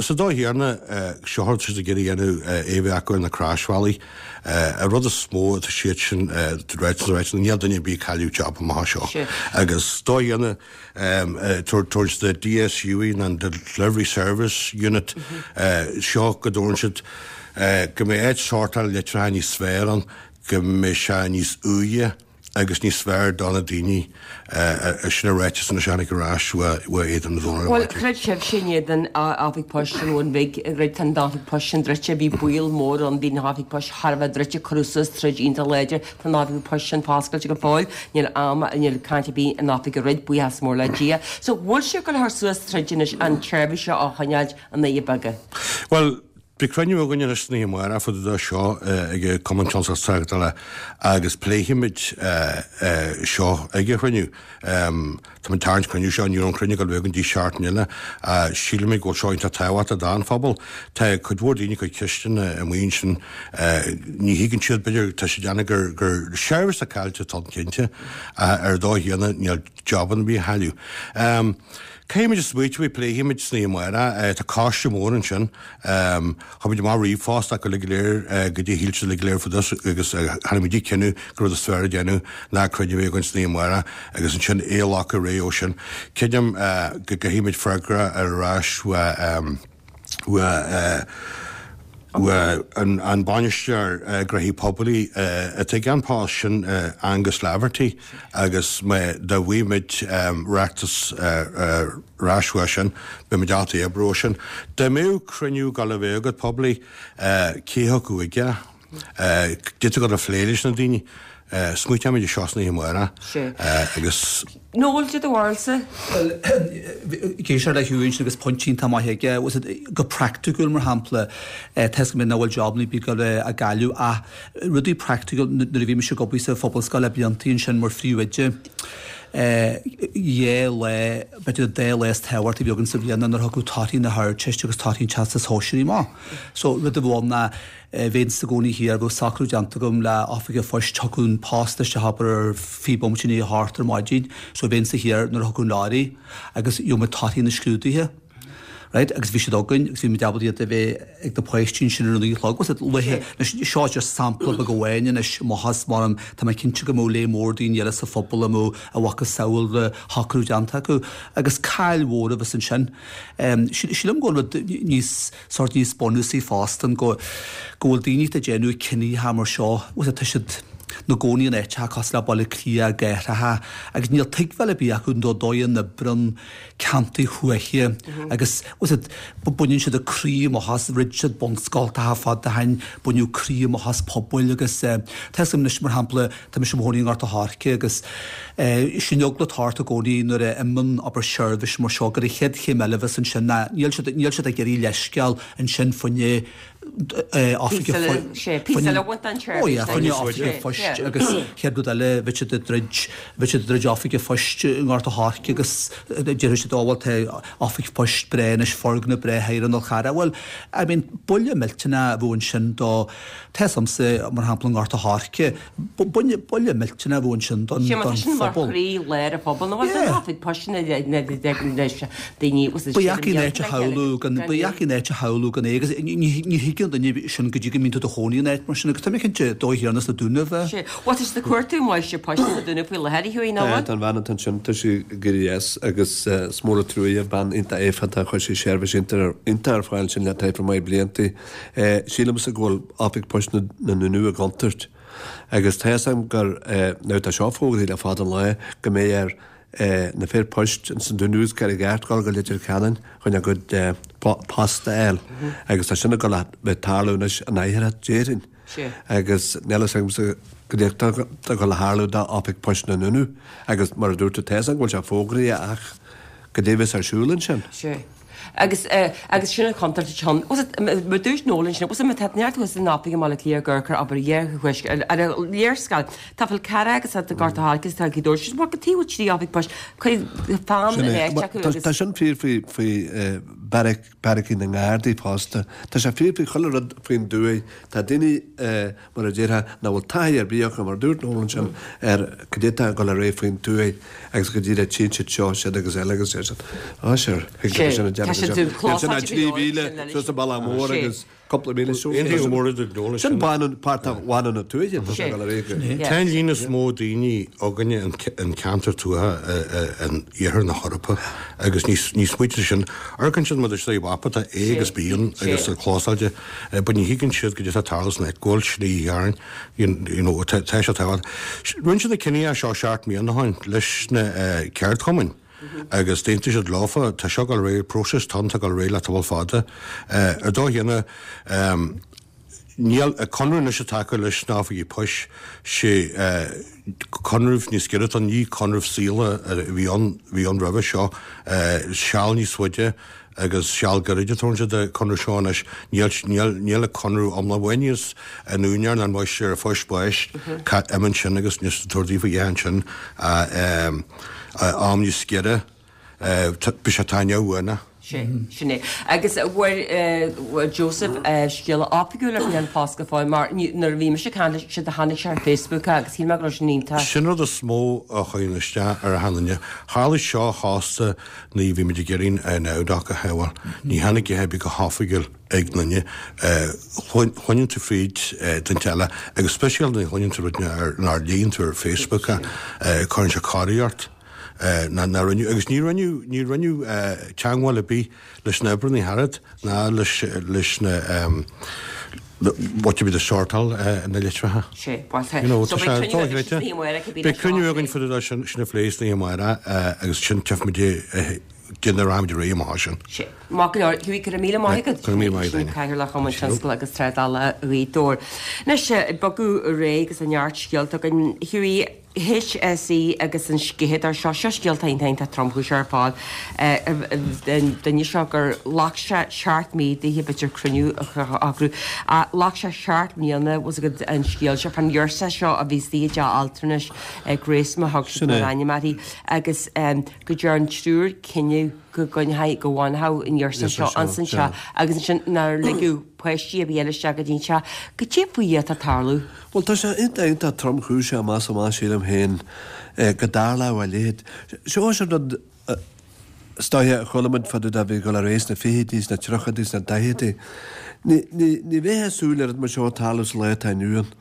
Speaker 4: Sa dóigh chéanna, seo rud siad ag iarraidh a dhéanamh é a bheith acu ar na croisbhealaí. An rud is mó atá siad sin ráite ráite níl duine ar bith ag cailleadh job amach anseo. Agus dóigh chéanna tabhairt the DSU nó an Delivery Service Unit seo go dtabharann siad go mbeidh áit sórtáil litreacha níos fearr ann, go mbeidh sé níos uaighe agus níos fearr do na daoine sin a ráiteas anois a tháinig ar ais uaidh Aidan Ó Dónaill.
Speaker 1: Bhuel, chreid sibhse in éadan oifig poist an Bhun Bhig, go raibh an oifig poist sin druidte, bhí baol mór ann, bhí an oifig poist thar a bheith druidte, cuireadh suas troid iontach láidir, tá an oifig poist sin foscailte go fóill, níl am, níl caint ar bith an oifig a dhruid, buíochas mór le Dia. So, bhfuil sibh ag dul a chur suas troid anois an tseirbhís seo a choinneáilt i nDoirí Beaga?
Speaker 4: Bhuel, Beidh cruinniú againn anois san oíche amárach fá dtaobh de seo ag Cumann Tionscal is Tráchtála agus pléifimid seo ag an chruinniú. Táimid ag tarraingt cruinniú seo, ní raibh an cruinniú ag dul a bheith againn go dtí seachtain eile. Sílimid go bhfuil seo iontach tábhachtach don phobal. Tá cuid mhór daoine ag cur ceisteanna amuigh ansin, ní thuigeann siad, b'fhéidir, tá siad ag déanamh gur gur seirbhís atá caillte atá ann cinnte, ach ar dóigh chéanna níl jobanna ar bith á chailleadh. Caithfimid smaoitiú faoi, pléifimid san oíche amárach. Tá coiste mór ansin. Chuir muid amach ríomhphost acu uilig go léir goidé a shíl siad uilig go léir fá dtaobh agus tháinig muid go cinneadh gur rud is fearr a dhéanamh ná cruinniú a bheith againn san oíche amárach agus ansin é a ghlacadh ar aghaidh ó sin. Creidim go gcaithfimid freagra ar ais uaidh uaidh an bainisteoir gnóthaí poiblí atá ag An Post, sin Angus Laverty, agus má dá bhfaighimid ráiteas ar ais uaidh sin, beimid ábalta oibriú ó sin. Dá mbeadh cruinniú ag dul a bheith agat poiblí, cé thiocfadh chuige? Goidé atá tú ag dul a phlé leis na daoine. Smaointeoimid ar seo san oíche amárach agus.
Speaker 1: Noel, cad é do bharúilsa?
Speaker 3: Bhuel, ag éisteacht le Hugh ansin agus pointe iontach maith aige, was it, go praiticiúil mar shampla, tá a fhios agam nach bhfuil jobanna ar bith ag dul á gcailleadh ach rudaí praiticiúil nuair a bhí mise ag obair sa Phobalscoil le blianta ansin mar phríomhoide, Dhá lá, b'fhéidir dá lá is tábhachtaí a bhí againn sa bhliain nuair a thiocfadh torthaí na hArdteiste agus torthaí an Teastais Shóisearaigh amach. So rud a bhí ann ná bheinn i gcónaí thiar, bheadh socrú déanta agam le oifig an phoist, thiocfadh an post isteach abair ar fiche bomaite i ndiaidh a hocht ar maidin, so bheinnse thiar nuair a thiocfadh an leoraí agus gheobhadh muid torthaí na scrúduithe. Right, agus bhí siad againn agus bhí muid ábalta iad a bheith ag na páistí ansin ar a naoi a chlog. Was it luaithe? Anois, seo just sampla beag amháin anois, maitheas mar tá mé cinnte go mbeadh lear mór daoine eile sa phobal a mbeadh a mhacasamhail de shocrú déanta acu agus caill mhór a bheas ansin. Sílim go bhfuil rud níos, sórt níos bunúsaí fosta go go bhfuil daoine atá ag déanamh cinntí mar seo, was it, tá siad 'na gcónaí in áiteacha cosúil le Baile Átha Cliath, i gcathracha, agus níl tuigbheáil ar bith acu don dóigh a n-oibríonn ceantair thuaithe agus was it, baineann siad a gcroí amach as, throid siad bunscoltacha fada ó shin, baineadh croí amach as pobail agus tá fhios agam anois mar shampla, tá mise i mo chónaí i nGort a' Choirce agus sin eagla atá ort i gcónaí nuair a imíonn abair seirbhís mar seo gur an chéad chéim eile a bheas ansin ná níl siad níl siad ag iarraidh leithscéal ansin fá choinne oifig an phoist agus chéad rud eile bheadh siad ag troid bheadh siad ag troid oifig an phoist i nGort a' Choirce agus déarfaidh siad ó bhuel tá oifig poist breá anois foirgneamh breá thiar in Fhál Charrach. Bhuel I mean buille millteanach a bheadh ansin do tá fhios agamsa mar shampla i nGort a' Choirce buille buille millteanach a bheadh ansin don
Speaker 1: Sé mar tá sin mar
Speaker 3: phobal.
Speaker 1: chroí lár an phobail nó bhuel
Speaker 3: Yeah.
Speaker 1: oifig poist na na na daoine
Speaker 3: Ba dheacair an áit a shamhlú gan ba dheacair an áit a shamhlú gan é agus ní ní thuigeann duine sin go dtí go mbíonn tú i do chónaí in áit mar sin agus tá mé cinnte dóigh thiar sna Dúnaibh é.
Speaker 1: Sé. Bhuel tá siad ag cuartú máistir poist sna Dúnaibh faoi láthair, a Hughie, nach bhfuil?
Speaker 2: Tá an bhean atá ansin, tá sí ag éirí as agus is mór an trua í, bean iontach éifeachtach, chuir sí seirbhís iontach ar fáil ansin le taifead maith blianta. Sílimse go bhfuil oifig poist na nDúnaibh i gcontúirt agus tá fhios agam gur, now tá seo fógraithe le fada an lá, go mbeidh ar na fir poist ins na Dúnaibh is Carraig Airt dul go Leitir Ceanainn chun a gcuid post a fháil agus tá sin ag dul a bheith ag tarlú anois in oirthear déarfainn agus níl fhios agamsa goidé atá ag dul a tharlú d'oifig poist na nDúnaibh agus mar a dúirt tú tá fhios agam go bhfuil sé fógraithe ach goidé a bheas ar siúl ansin.
Speaker 1: Agus agus sin an chontúirt atá ann. Was it mar dúirt Noel ansin, was it má tá neart thuas in oifig i mBaile Átha Cliath ag amharc ar obair ghéarchúiseach ar ar an léarscáil. Tá Fál Carrach agus tá Gort a' Choirce agus tá Gaoth Dobhair. Sin mar go taobh bhfuil trí oifig poist cuir fonn
Speaker 2: Sin
Speaker 1: in
Speaker 2: é.
Speaker 1: áit acu
Speaker 2: Tá
Speaker 1: agus
Speaker 2: tá sin fíor faoi faoi beairic beairicí na nGardaí fosta. Tá sé fíor faoi chuile rud faoin dtuaith. Tá daoine mar a déarfá nach bhfuil taithí ar bith acu mar a dúirt Noel ansin ar cad é atá ag dul ar aghaidh faoin tuaith agus go díreach tchíonn siad seo, siad agus eile agus deir siad, Á sure, thig leo sin a
Speaker 1: Tá
Speaker 2: déanamh
Speaker 1: siad
Speaker 2: anseo.
Speaker 1: ag clós
Speaker 2: Níl sin ach
Speaker 1: áit
Speaker 2: trí
Speaker 1: go leor
Speaker 2: mhíle
Speaker 1: sin
Speaker 2: suas an bealach mór
Speaker 1: Sé.
Speaker 2: agus cúpla míle suas.
Speaker 4: Aontaím go mór le Noel
Speaker 2: Sin
Speaker 4: ansin.
Speaker 2: baineann páirt de bhaineann na tuaithe tá sé
Speaker 1: Sé.
Speaker 2: ag dul ar aghaidh go.
Speaker 1: Yeah.
Speaker 4: Tá an líon is mó daoine againne in ceantar tuaithe in iarthar na hEorpa agus ní ní smaoitíonn sin. Amharcann siad mar is é mapa tá A agus B ann agus
Speaker 1: Sé.
Speaker 4: clósáilte, but ní thuigeann siad goidé atá ag tarlú san áit, go bhfuil slí ghearr, you know, tá sé tábhachtach. Rinne siad na cinntí seo seacht mbliana ó shin leis na ceardchumainn agus d'aontaigh siad leofa, tá seo ag dul ar aghaidh, próiseas atá ann atá ag dul ar aghaidh le tamall fada. Ar dóigh chéanna, níl, conradh anois atá acu leis na hoifigí poist, sé conradh níos giorra atá ann, ní conradh saoil a bhí ann, bhí ann roimhe seo, seal níos faide agus seal gairid a tabharann siad an conradh seo anois. Níl, níl, níl an conradh iomlán bhain an úinéir ná an máistir phoist báis imíonn sin agus níos tabhair daofa a dhéanamh ansin am níos giorra, bhí sé taitneamh uaine.
Speaker 1: Sé, sin é. Agus bhfuair, bhfuair Joseph scéala oifigiúil ar bith an post go fóill mar nuair a bhí mise ag caint leis, sé do tháinig sé ar Facebook agus shíl mé go raibh sin iontach.
Speaker 4: Sin rud is mó a chuireann isteach ar achan duine. Tharla seo fosta nuair a bhí muid ag iarraidh an Abhainn a shábháil. Ní tháinig a dhath ar bith go hoifigiúil ag duine. Chluineann tú fríd duine eile agus speisialta nuair a chluineann tú rud nár léann tú ar Facebook cuireann sé corraí ort. ná ná rinneadh agus ní rinneadh ní rinneadh teagmháil ar bith leis na oibreanna thart ná leis leis na what to be the sortáil na litreacha.
Speaker 1: Sé, bhuel tá.
Speaker 4: You know,
Speaker 1: So
Speaker 4: tá
Speaker 1: beidh
Speaker 4: sé
Speaker 1: cruinniú agaibh
Speaker 4: dóchreidte.
Speaker 1: sna hAmárach a bhí
Speaker 4: Beidh
Speaker 1: leis
Speaker 4: cruinniú
Speaker 1: an
Speaker 4: againn fá sin sin a phlé sna hAmárach agus sin tchífimid cén rachaimid ar aghaidh amach sin.
Speaker 1: Sé. Maith go leor, Hughie, go raibh míle maith agat.
Speaker 4: Go raibh míle maith
Speaker 1: Sin
Speaker 4: agat.
Speaker 1: Cathaoirleach Chumann Tionscail agus Trádála Ghaoth Dobhair. Anois, ag bogadh ar aghaidh agus neart scéalta againn. Hughie, HSE agus an sceitheadóir seo, seo scéalta iontach tromchúiseach ar fad, an duine seo gur ghlac sé seacht mí daoithe b'fhéidir cruinniú a shocrú, ghlac sé seacht mbliana bhfuil fhios agat an scéal seo, fán ghirseach seo a bhí istigh i dteach altranais, Grace mar a thug siad mar ainm uirthi, agus go dtearn triúr cinneadh go gcoinneofaí, go bhfanfadh an ghirseach seo ansan teach agus ansin nár ligeadh páistí ar bith eile isteach go dtí an teach. Goidé faoi Dhia atá ag tarlú?
Speaker 2: Bhuel, tá sé iontach, iontach tromchúiseach amach is amach, sílim féin, go dtarlódh a leithéid. Seo an rud is dóiche a chuala muid fá dtaobh de a bhí ag dul ar aghaidh sna fichidí, sna tríochaidí, sna daichidí. Ní, ní, ní bheifeá ag súil le rud mar seo ag tarlú sa lá atá inniu ann.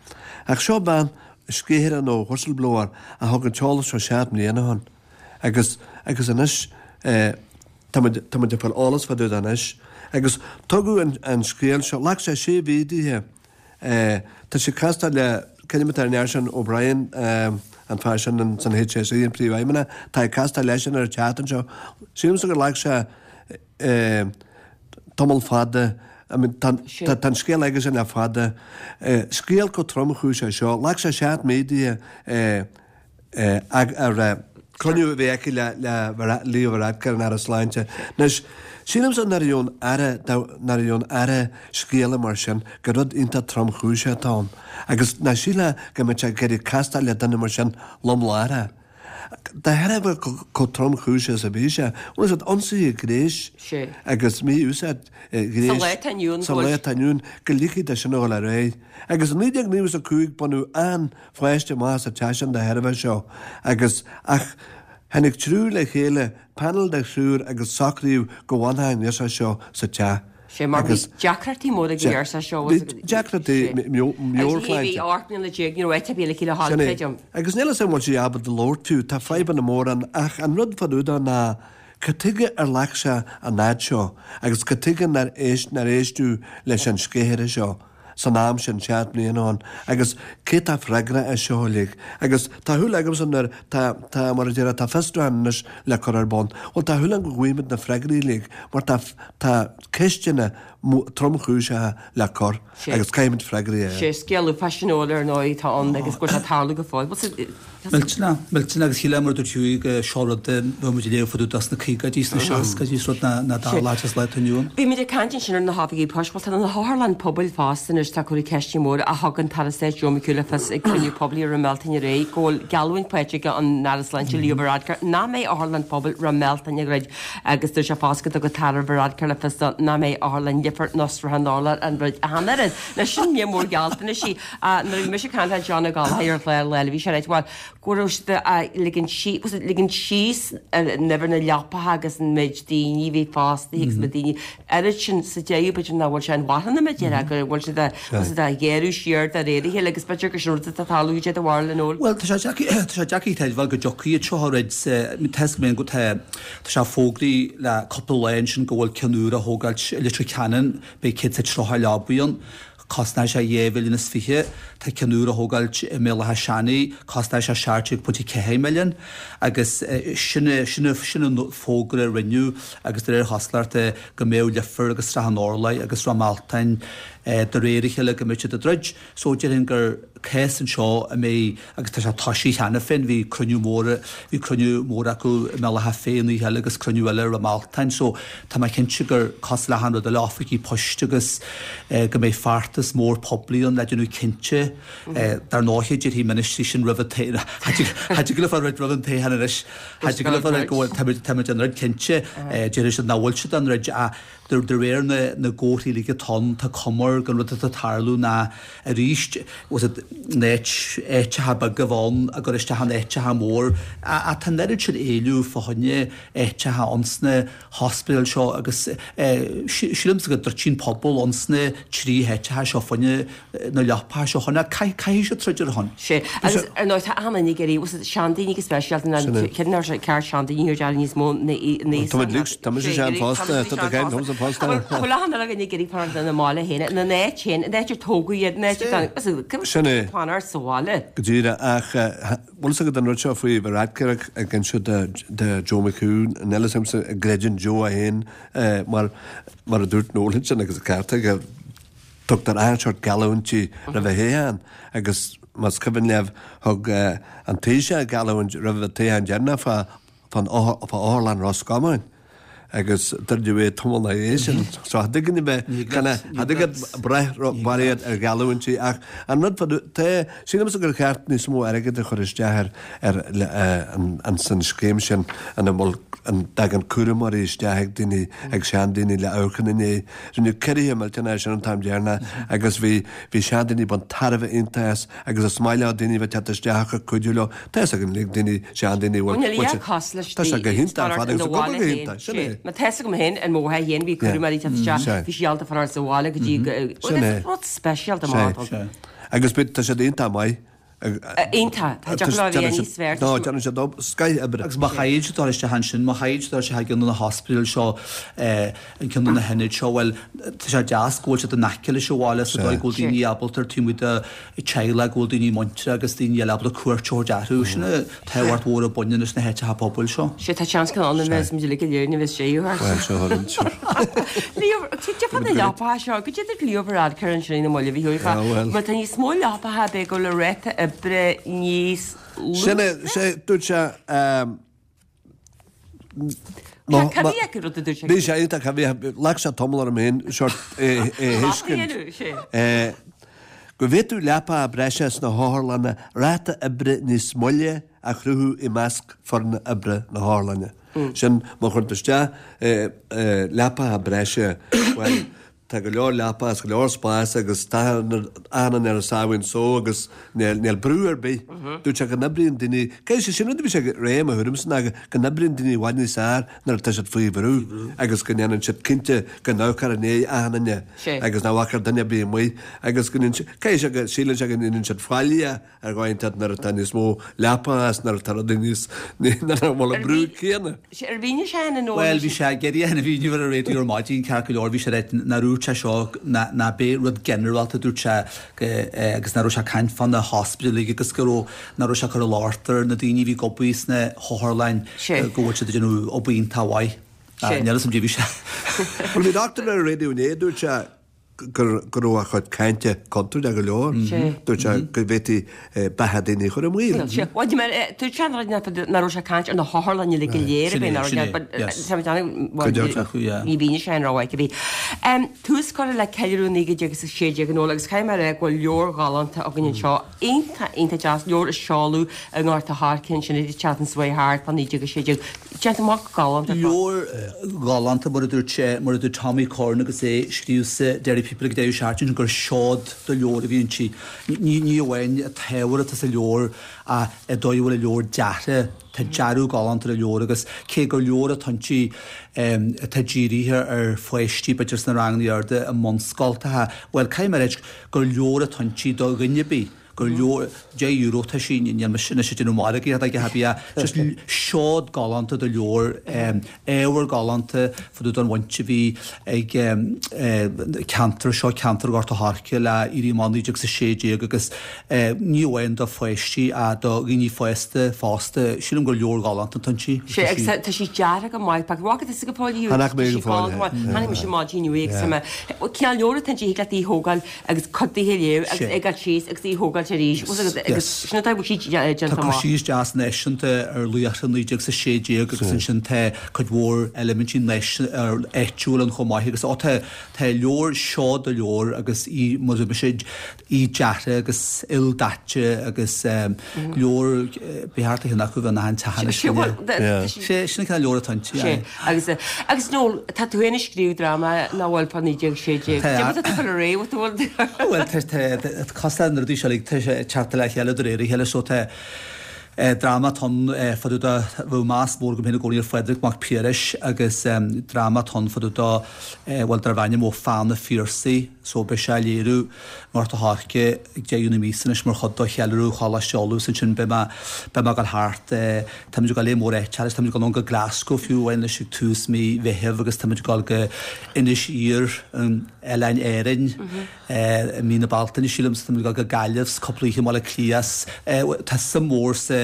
Speaker 2: Ach seo bean, sceithire nó whistleblower, a thug an t-eolas seo seacht mbliana ó shin. Agus, agus anois, tá muid, tá muid ag fáil eolas fá dtaobh de anois. Agus tugadh an, an scéal seo, ghlac sé sé mhí dithe, tá sí ag castáil le, cén ainm atá ar an fhear sin, O'Brien, an fear sin in san HSE, an príomhfheidhmeannach, tá ag castáil leisean ar an tseachtain seo. Sílimse gur ghlac sé tamall fada, I mean, tá, tá, tá an scéal aigesean le fada. Scéal chomh tromchúiseach seo, ghlac sé seacht mí dithe, ar chruinniú a bhí aici le Leo Varadkar, an Aire Sláinte. Anois, sílimse nuair a gheobhann Aire, nuair a gheobhann Aire scéala mar sin, gur rud iontach tromchúiseach atá ann. Agus ná sílfeá go mbeadh sé ag iarraidh castáil le duine mar sin lom láithreach. De thairbhe chomh tromchúiseach is a bhí sé, bhfuil fhios agat, ionsaithe gnéis agus mí-úsáid ghnéis sa lá atá inniu ann, go ligfí dó sin a dhul ar aghaidh. Agus i naoi déag nócha a cúig baineadh an-pháiste amach as an teach sin de thairbhe seo agus ach tháinig triúr le chéile, panel de thriúr agus socraíodh go bhfanfadh an ghirseach seo sa teach.
Speaker 1: Sé mar bhí deacrachtaí móra ag an ghirseach seo.
Speaker 2: Bhí deacrachtaí meabhairshláinte.
Speaker 1: Bhí ocht mbliana déag ní raibh áit ar bith aici le dhul, creidim.
Speaker 2: Agus níl a fhios agam an bhfuil sí ábalta labhairt fiú, tá fadhbanna móra ann ach an rud fá dtaobh de ná cad tuige ar ghlac sé an fhad seo agus cad tuige nár éist nár éisteadh leis an sceithire seo san am sin, seacht mbliana ó shin, agus cé tá freagrach as seo uilig? Agus tá shúil agamsa nuair, tá, tá, mar a déarfá, tá fiosrúchán anois le cur ar bun. Bhuel, tá shúil agam go bhfaighimid na freagraí uilig, mar tá, tá ceisteanna tromchúiseacha le cur agus caithfimid freagraí a fháil.
Speaker 1: Sé scéal uafáis sin ar ndóigh atá ann agus go bhfuil sé ag tarlú go fóill.
Speaker 3: Millteanach, millteanach agus shílfeá mar a dúirt Hughie go seo rud a bheadh muid ag léamh fá dtaobh de sna caogaidí, sna seascaidí, is rud nach dtarlódh sa lá atá inniu ann.
Speaker 1: Bhí muid ag caint ansin ar na hoifigí poist, bhuel tá na hotharlanna pobail fosta anois, tá cúrsaí ceisteanna móra ach thug an tAire Stáit Joe McHugh le fios ag cruinniú poiblí i Ráth Mealtain aréir go bhfuil geallúint faighte ag an Aire Sláinte Leo Varadkar nach mbeidh otharlann pobail Ráth Mealtain ag druid agus dúirt sé fosta go dtug an tAire Varadkar le fios dó nach mbeidh otharlann Leifear ná Srath an Urláir á ndruid ach an oiread. Now sin mír mór gealltanais í. Nuair a bhí mise ag caint le John Ó Gallchóir ar an chlár lá eile bhí sé ag ráit bhuel go raibh siad ag ligean síos, ligean síos an uimhir na leapacha agus an méid daoine a bhí fostaithe agus na daoine oiread sin sa deireadh b'fhéidir nach bhfuil sé inmharthana mar a déarfá go bhfuil siad bhfuil siad á ghéarú siar de réir a chéile agus b'fhéidir gur sin rud atá ag tarlú cad é do bharúil a Noel.
Speaker 3: Bhuel tá sé deacair tá sé deacair a chreidbheáil go dtiocfaidh iad seo a throid sa tá fhios agam go tá tá sé fógraithe le cúpla lá ansin go bhfuil ceann úr á thógáilt i Leitir Ceanainn beidh céad is tríocha leabaidh ann. Cosnóidh sé dhá mhilliún is fiche. Tá ceann úr á thógáilt i mBéal Átha Seanaidh, cosnóidh sé seacht déag pointe ceathair milliún. Agus sin sin sin an fógra a rinneadh agus de réir chosúlachta go mbeadh Leifear agus Srath an Urláir agus Ráth Mealtain de réir a chéile go mbeidh siad ag druid. So déarfainn gur cás anseo a mbeidh, agus tá sé toisithe cheana féin, bhí cruinniú mór, bhí cruinniú mór acu i mBéal Átha Féith an oíche eile agus cruinniú eile i Ráth Mealtain. So tá mé cinnte gur cosúil le achan rud eile, oifigí poist agus go mbeidh feachtas mór poiblí ann le déanamh cinnte. Dar ndóighe déarfaidh ministrí sin roimh an toghchán, cha dtig leo fáil roimh an toghchán anois, cha dtig leo fáil go bhfuil, táimid, táimid á ndruid cinnte, déarfaidh siad nach bhfuil siad á ndruid ach De réir na gcomharthaí uilig atá ann, tá cuma air gon rud atá ag tarlú ná arís, was it, na áiteacha beaga a bheith ann a gcur isteach in áiteacha mór. Ach tá an oiread sin éileamh fá choinne áiteacha ins na hospidéil seo agus sílimse go dtroidfidh an pobal ins na trí háiteacha seo fá choinne na leapacha seo chun caithfidh siad troid ar a shon.
Speaker 1: Sea, agus ar ndóigh tá achan duine ag iarraidh, was it, seandaoine go speisialta, ná cén uair sé ceart seandaoine a níos mó na
Speaker 2: Tá muid lucht, tá mise sean fosta, tá do cheann thusa fosta.
Speaker 1: Bhfuil achan duine ag iarraidh fanacht ina mbaile féin, ina n-áit féin, in áit ar tógadh iad, in áit ar tháinig,
Speaker 2: Sin é.
Speaker 1: fanacht sa bhaile.
Speaker 2: Go díreach, ach bhfuil fhios agat an rud seo faoi Varadkar ag inse do Joe McHugh, níl fhios agamsa an gcreideann Joe é féin mar mar a dúirt Noel ansin agus an ceart aige, Tugtar achan seort geallúintí roimh thoghchán agus más cuimhin libh thug an Taoiseach geallúint roimh an toghchán deireanach fá fán Otharlann Ros Comáin agus dúirt é tamall ina dhiaidh sin. So cha dtig linn a bheith cha dtig leat brath barraíocht ar gheallúintí ach an rud fá tá sílimse gur cheart níos mó airgid a chur isteach ar ar an an san scéim sin ina bhfuil an dtagann cúramóirí isteach ag daoine ag seandaoine le amharc ina ndiaidh. Rinneadh ciorruithe millteanacha ar sin an t-am deireanach agus bhí bhí seandaoine ag baint tairbhe iontach as agus is maith leo daoine a bheith teacht isteach ag cuidiú leo. Tá fhios againn uilig daoine seandaoine a bhfuil
Speaker 1: Bhuel níl a cás leis
Speaker 2: Tá sé go hiontach ar fad agus ag obair go hiontach. Sin é.
Speaker 1: Má tá fhios agam féin, an mháthair féin, bhí cúramóirí ag teacht isteach, bhí sí ábalta fanacht sa bhaile go dtí go, bhuel is rud speisialta maith atá ann.
Speaker 2: Agus bíonn, tá siad iontach maith.
Speaker 1: Iontach, tá deacair leo a bheith níos fearr.
Speaker 2: No, déanann siad scoith oibre.
Speaker 3: Agus má chaithfidh siad dul isteach ansin, má chaithfidh siad dul isteach i gceann de na hospidéil seo, i gceann de na hionaid seo, bhuel, tá sé deas go bhfuil siad in aice leis an bhaile sa dóigh go bhfuil daoine ábalta ar taobh amuigh de teaghlach, go bhfuil daoine muinteartha agus daoine eile ábalta cuairt a thabhairt orthu. Sin an tábhacht mhór a bhaineann leis na háiteacha pobail seo.
Speaker 1: Sea, tá seans go ann a bheas muid uilig go léir, ní bheas sé thart.
Speaker 2: Bhuel, seo thar an seo.
Speaker 1: Leo, cad é fá na leapacha seo, cad é dúirt Leo Varadkar ansin ina mbaile, bhí thú
Speaker 2: Ah, bhuel.
Speaker 1: Má tá níos mó leapacha, beidh go le ráta oibre níos lú.
Speaker 2: Sin é, sé, dúirt sé, ehm,
Speaker 1: Cad a bhí acu rud a dúirt sé?
Speaker 2: Bhí sé iontach, bhí, ghlac sé tamall orm féin sort é a thuiscint. Eh, go bhféadfadh leapacha breise sna hotharlanna ráta oibre níos moille a chruthú i measc foirne oibre na hotharlainne. Sin, má chuireann tú isteach eh, eh, leapacha breise, bhuel, Tá go leor leapa agus go leor spáis agus tá achan duine ar a sáimhín só agus níl brú ar bith. Dúirt sé go n-oibríonn daoine, caithfidh sé sin rud a bhí sé ag rá i mo thuairimse ná go n-oibríonn daoine i bhfad níos fearr nuair atá siad faoi bhrú agus go ndéanann siad cinnte go n-amharcfar i ndiaidh achan duine agus nach bhfágfar duine ar bith amuigh agus go ndéanann siad, caithfidh sé go síleann sé go ndéanann siad faillí ar dhóigh inteacht nuair atá níos mó leapa agus nuair atá rudaí níos, nuair nach bhfuil an brú céanna.
Speaker 1: Ar mhínigh sé ina ndóigh
Speaker 3: Bhuel, bhí sé ag iarraidh a mhíniú ar an raidió ar maidin, ceart go leor, bhí sé ag ráit nár dhúirt sé seo, ná b'é rud ginearálta a dúirt sé agus nach raibh sé ag caint fá na hospidéil agus go raibh, nach raibh sé ag cur an locht ar na daoine a bhí ag obair sna hotharlanna go bhfuil siad ag déanamh obair iontach mhaith. Níl fhios a'm caidé bhí sé.
Speaker 2: Bhuel, bhí dochtúir ar an raidió inné, dúirt sé, go raibh a chuid cainte contúirteach go leor. Dúirt sé go bhféadfaí beatha daoine a chur i mbaol.
Speaker 1: Bhuel, dúirt sé nach raibh sé ag caint ar na hotharlanna uilig go léir a bhí ní bhíonn sé an rogha aici bhí. Tús curtha le ceiliúradh naoi gcéad déag is a sé déag Noel agus caithfidh mé a rá go bhfuil leabhar galánta againn anseo, iontach, iontach deas, leabhar a seoladh i nGort a' Choirce ansin an tseachtain seo chuaigh thart fá naoi déag a sé déag. Déanta amach go galánta ar fad.
Speaker 3: Leabhar galánta mar a dúirt sé, mar a dúirt Tommy Curran agus é ag scríobh sa Derry People ag deireadh seachtaine gur seod de leabhar a bhí inti. Ní ní amháin an t-ábhar atá sa leabhar ach an dóigh a bhfuil an leabhar deartha. Tá dearadh galánta ar an leabhar agus cé gur leabhar atá inti atá dírithe ar pháistí b'fhéidir sna ranganna arda i mbunscoltacha, bhuel caithfidh mé a ráit gur leabhar atá inti do dhuine ar bith. gur leabhar deich euro atá sí, níl mise anois ag déanamh margaíochta ag a bia, just seod galánta de leabhar, ábhar galánta fá dtaobh den bhaint a bhí ag ceantar seo, ceantar Ghort a' Choirce le Éirí Amach naoi déag is a sé déag agus ní amháin do pháistí ach do dhaoine fásta fosta, sílim gur leabhar galánta atá inti.
Speaker 1: Sea, agus tá sí deartha go maith, b'fhéidir go bhfaca tusa go fóill í,
Speaker 2: Chonaic mé
Speaker 1: tá
Speaker 2: go
Speaker 1: sí
Speaker 2: fóill
Speaker 1: galánta
Speaker 2: é.
Speaker 1: maith, chonaic mise maidin inniu í agus tá mé, cineál leabhar atá inti, thig leat í a thógáil agus cuid di a léamh agus ag dul síos agus í a thógáilt arís. Agus sin an dóigh a bhfuil sí déanta
Speaker 3: Tá cur
Speaker 1: amach.
Speaker 3: síos deas náisiúnta ar laochra naoi déag is a sé déag agus ansin tá cuid mhór eilimintí áitiúil ann chomh maith agus ó tá tá leabhar seod de leabhar agus í mar a dúirt mise í deartha agus ildaite agus leabhar ba cheart do cheann acu bheith in achan teach anois. Sé sin an cineál leabhar atá inti.
Speaker 1: Sé agus agus Noel tá tú féin ag scríobh dráma nach bhfuil fá naoi déag sé déag.
Speaker 3: Tá.
Speaker 1: Cé tá tú ag rá bhfuil
Speaker 3: Bhuel tá tá cosúil na rudaí seo uilig tá sé ag teacht le chéile de réir a chéile so tá dráma atá ann fá dtaobh de bheadh meas mór agam féin i gcónaí ar Phádraig Mac Piarais agus dráma atá ann fá dtaobh de bhuel darb ainm Ó Pheann an Phiarsaigh so beidh sé á léiriú i nGort a' Choirce ag deireadh na míosa anois mar chuid de cheiliúradh Choláiste Uladh is ansin beidh mé beidh mé ag dul thart táimid ag dul lear mór áiteacha anois táimid ag dul anonn go Glasgow fiú amháin anois ag tús mí Mheithimh agus táimid ag dul go Inis Oírr in Oileáin Árainn i mí na Bealtaine sílim, táimid ag dul go Gaillimh 's cúpla oíche i mBaile Átha Cliath 's tá suim mhór sa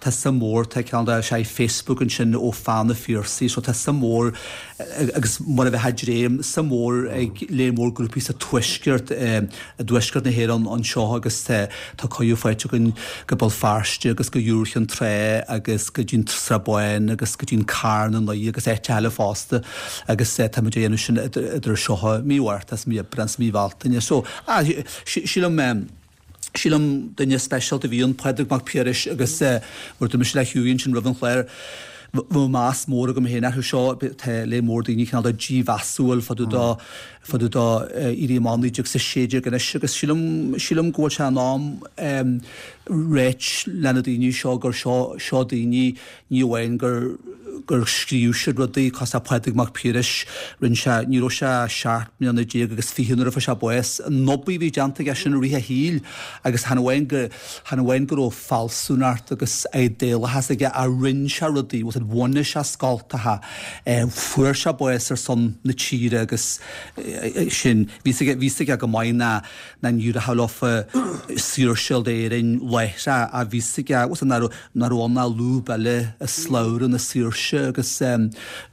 Speaker 3: tá tá suim mhór, tá cineál de sé Facebook ansin ó feadh na Phiarsaigh, so tá suim mhór agus mar a bheith ag dréim, suim mhór ag léar mór grúpaí sa Tuaisceart, i dTuaisceart na hÉireann anseo agus tá cuireadh faighte againn go Béal Feirste agus go Iúr Chinn Trá agus go dtí an tSrath Bán agus go dtí an Carn i nDoire agus áiteacha eile fosta agus táimid a dhéanamh sin idir seo mí Mhárta is mí Aibreán is mí Bhealtaine. So, sílim, sílim duine speisialta a bhí ann, Pádraig Mac Piarais agus mar dúirt mise le Hughie ansin roimh an chlár, bheadh meas mór agam féin orthu seo, tá léar mór daoine cineál de dímheasúil fá dtaobh de fá dtaobh de Éirí Amach naoi déag is a sé déag anois agus sílim, sílim go bhfuil sé in am ráit le na daoine seo gur seo, seo daoine ní amháin gur gur scríobh siad rudaí cosúil le Pádraig Mac Piarais, rinne sé, ní raibh sé seacht mbliana déag agus fiche nuair a fuair sé bás, an obair a bhí déanta aige sin i rith a shaoil agus chan amháin go, chan amháin go raibh fealsúnacht agus idéalachas aige ach rinne sé rudaí, bhfuil a fhios agat, bhunaigh sé scoltacha, fuair sé bás ar son na tíre agus sin, bhí a fhios aige, bhí a fhios aige go maith ná, ná ní rachadh leofa saoirse d'Éirinn láithreach ach bhí a fhios aige, bhfuil a fhios agat, nach raibh, nach raibh ann ach lúb eile i slabhra na saoirse agus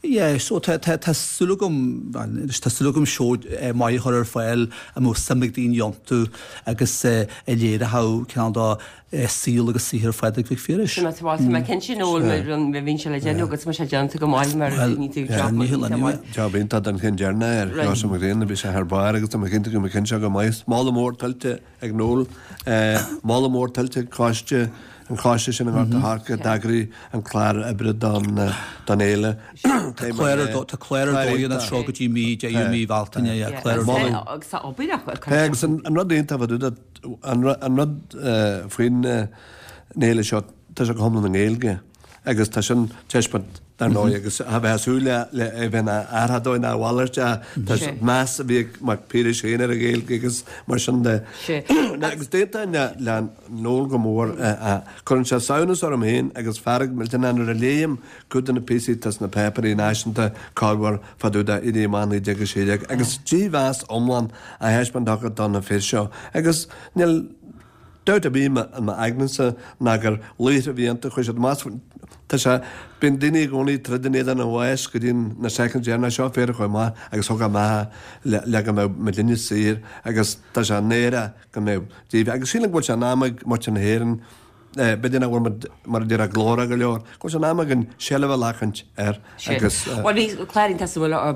Speaker 3: yeah, so tá, tá, tá súil agam, anois tá súil agam seó maith a chur ar fáil a mbeadh suim ag daoine iontu agus a léireodh cineál de saol agus saothar Phádraig Mhic Phiarais.
Speaker 1: Tá mé cinnte Noel mar bhíonn sé le déanamh agus tá sé déanta go maith mar ní tú job iontach maith.
Speaker 2: Job iontach den cheann deireanach ar Sheosamh Mac Grianna, bhí sé thar barr agus tá mé cinnte go mbeidh an ceann seo go maith. Moladh mór tuillte ag Noel, moladh mór tuillte ag coiste, an coiste sin i nGort a' Choirce a d'eagraigh an clár oibre don don fhéile.
Speaker 3: Tá clár ar tá clár ar dóigh anseo go dtí mí deireadh mí Bhealtaine, yeah, clár ar dóigh.
Speaker 1: Agus tá obair acu.
Speaker 2: Agus an rud iontach fá dtaobh de, an rud faoin fhéile seo, tá sé go hiomlán i nGaeilge agus tá sin taispeáint dar ndóigh agus a bheith ag súil le le é bheith ina athrach dóibh ná a mhalairt tá meas a bhí ag Mac Piarais féin ar an Ghaeilge agus mar sin de. Agus d'aontóinn le le Noel go mór cuireann sé samhnas orm féin agus fearg millteanach nuair a léim cuid de na píosaí atá sna páipéirí náisiúnta corruair fá dtaobh de Éirí Amach naoi déag a sé déag agus dímheas iomlán á thaispeáint acu do na fir seo agus níl Dabht ar bith i m'aignese ná gur laochra a bhí iontu, chuir siad amach, tá sé, bíonn daoine i gcónaí ag troid in éadan an bháis go dtí na soicind deireanach, seo fir a chuaigh amach agus thug a mbeatha le, le go mbeadh muidinne saor agus tá sé náireach go mbeadh díobh, agus sílim go bhfuil sé in am ag muintir na hÉireann, b'fhéidir nach bhfuil muid, mar a déarfá, glórach go leor, go bhfuil sé in am againn seilbh a ghlacaint air agus.
Speaker 1: Bhuel bhí clár iontach suimiúil ar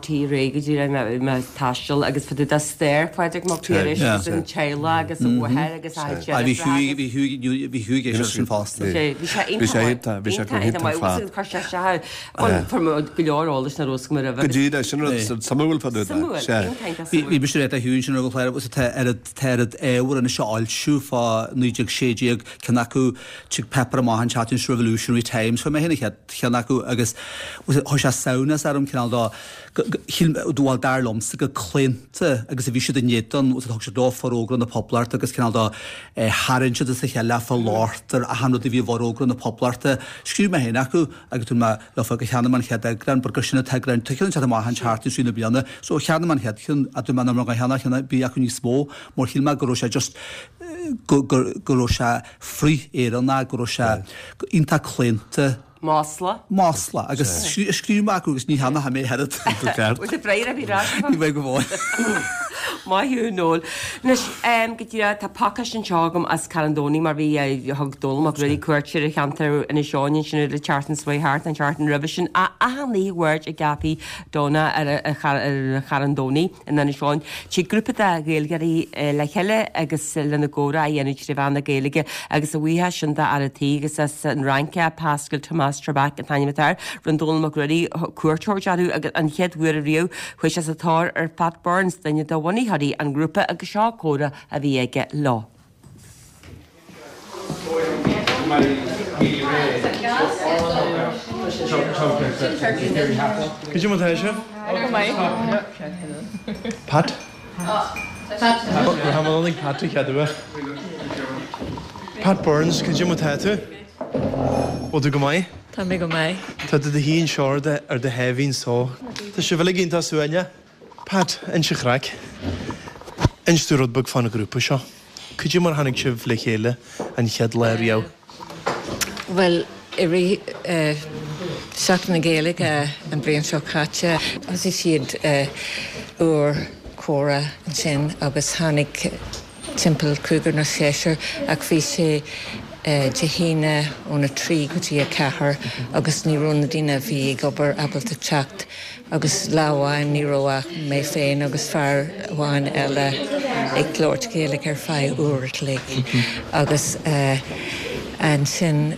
Speaker 1: RTÉ go dtí mé ag taisteal agus fá dtaobh de stair Phádraig Mac Piarais agus an teaghlach agus a mháthair agus a chuid
Speaker 3: deirfiúracha. Bhí Hughie bhí Hughie bhí Hughie ag éisteacht sin fosta.
Speaker 1: Bhí sé iontach bhí sé go hiontach ar fad. Chuir sé isteach bhuel fuair mé go leor eolais nach raibh a fhios agam roimhe.
Speaker 2: Go díreach sin rud suimiúil fá dtaobh de.
Speaker 1: Suimiúil, iontach iontach suimiúil.
Speaker 3: Bhí mise ag Hughie ansin roimh an chlár agus tá oiread tá oiread ábhar anois á fhoilsiú fá naoi déag sé déag ceann acu tig páipéar amach an tseachtain seo Revolutionary Times fuair mé féin an chéad cheann acu agus chuir sé samhnas orm cineál de shíl bhuel dar liomsa go claonta agus a bhí siad in éadan thug siad leo Forógra na Poblachta agus cineál de tharraing siad as a chéile fá lortar achan rud a bhí i bhForógra na Poblachta. Scríobh mé féin acu agus dúirt mé leofa gur cheannaigh mé an chéad eagrán but gur sin an t-eagrán tá ceann ag teacht amach an tseachtain seo na bliana so cheannaigh mé an chéad cheann a dúirt mé nach raibh cheannaigh cheann ar bith acu níos mó mar shíl mé go raibh sé just go go go raibh sé frith-Éireannach go raibh sé iontach claonta.
Speaker 1: Masla.
Speaker 3: Masla agus scríobh mé acu agus ní cheannóidh mé oiread.
Speaker 1: Bhfuil sé breá a bhí rá.
Speaker 3: Ní bheidh go fóill.
Speaker 1: Maith thú Noel. Anois go díreach tá pacáiste anseo agam as Carn Domhnaigh mar bhí thug Dónall Mac Ruairí cuairt ar an cheantar Inis Eoghain ansin ar an tseachtain seo thart an tseachtain roimhe sin. Achan oíche Mháirt i gCaifé Donagh ar Charn Domhnaigh in Inis Eoghain. Tig grúpa de Ghaeilgeoirí le chéile agus lena gcomhrá a dhéanamh trí mheán na Gaeilge agus a bhuíochas sin d'fhear an tí agus as an Fhrainc é Pascal Thomas Trebach an t-ainm atá air. Rinne Dónall Mac Ruairí cuairt a thabhairt orthu agus an chéad uair ariamh chuaigh sé sa tóir ar Pat Burns, duine de bhunaitheoirí an ghrúpa agus seo comhrá a bhí aige leo.
Speaker 5: Cad é mar tá sibh? Pat? Tháinig Pat an chéad uair. Pat Burns, cad é mar tá tú? Bhfuil tú go maith?
Speaker 6: Tá mé go maith.
Speaker 5: Tá tú i do shuí anseo ar do ar do sháimhín só. Tá sibh uilig iontach suaimhneach. Pat, inis an chraic. Inis domh rud beag fán ghrúpa seo. Cad é mar tháinig sibh le chéile an chéad lá riamh?
Speaker 6: Well i rith Seachtain na Gaeilge an bhliain seo caite, thosaigh siad uair comhrá ansin agus tháinig timpeall cúigear nó seisear ach bhí sé Dé hAoine óna trí go dtí a ceathair agus ní raibh na daoine a bhí ag obair ábalta teacht agus lá amháin ní raibh ach mé féin agus fear amháin eile ag labhairt Gaeilge ar feadh uair a chloig agus ansin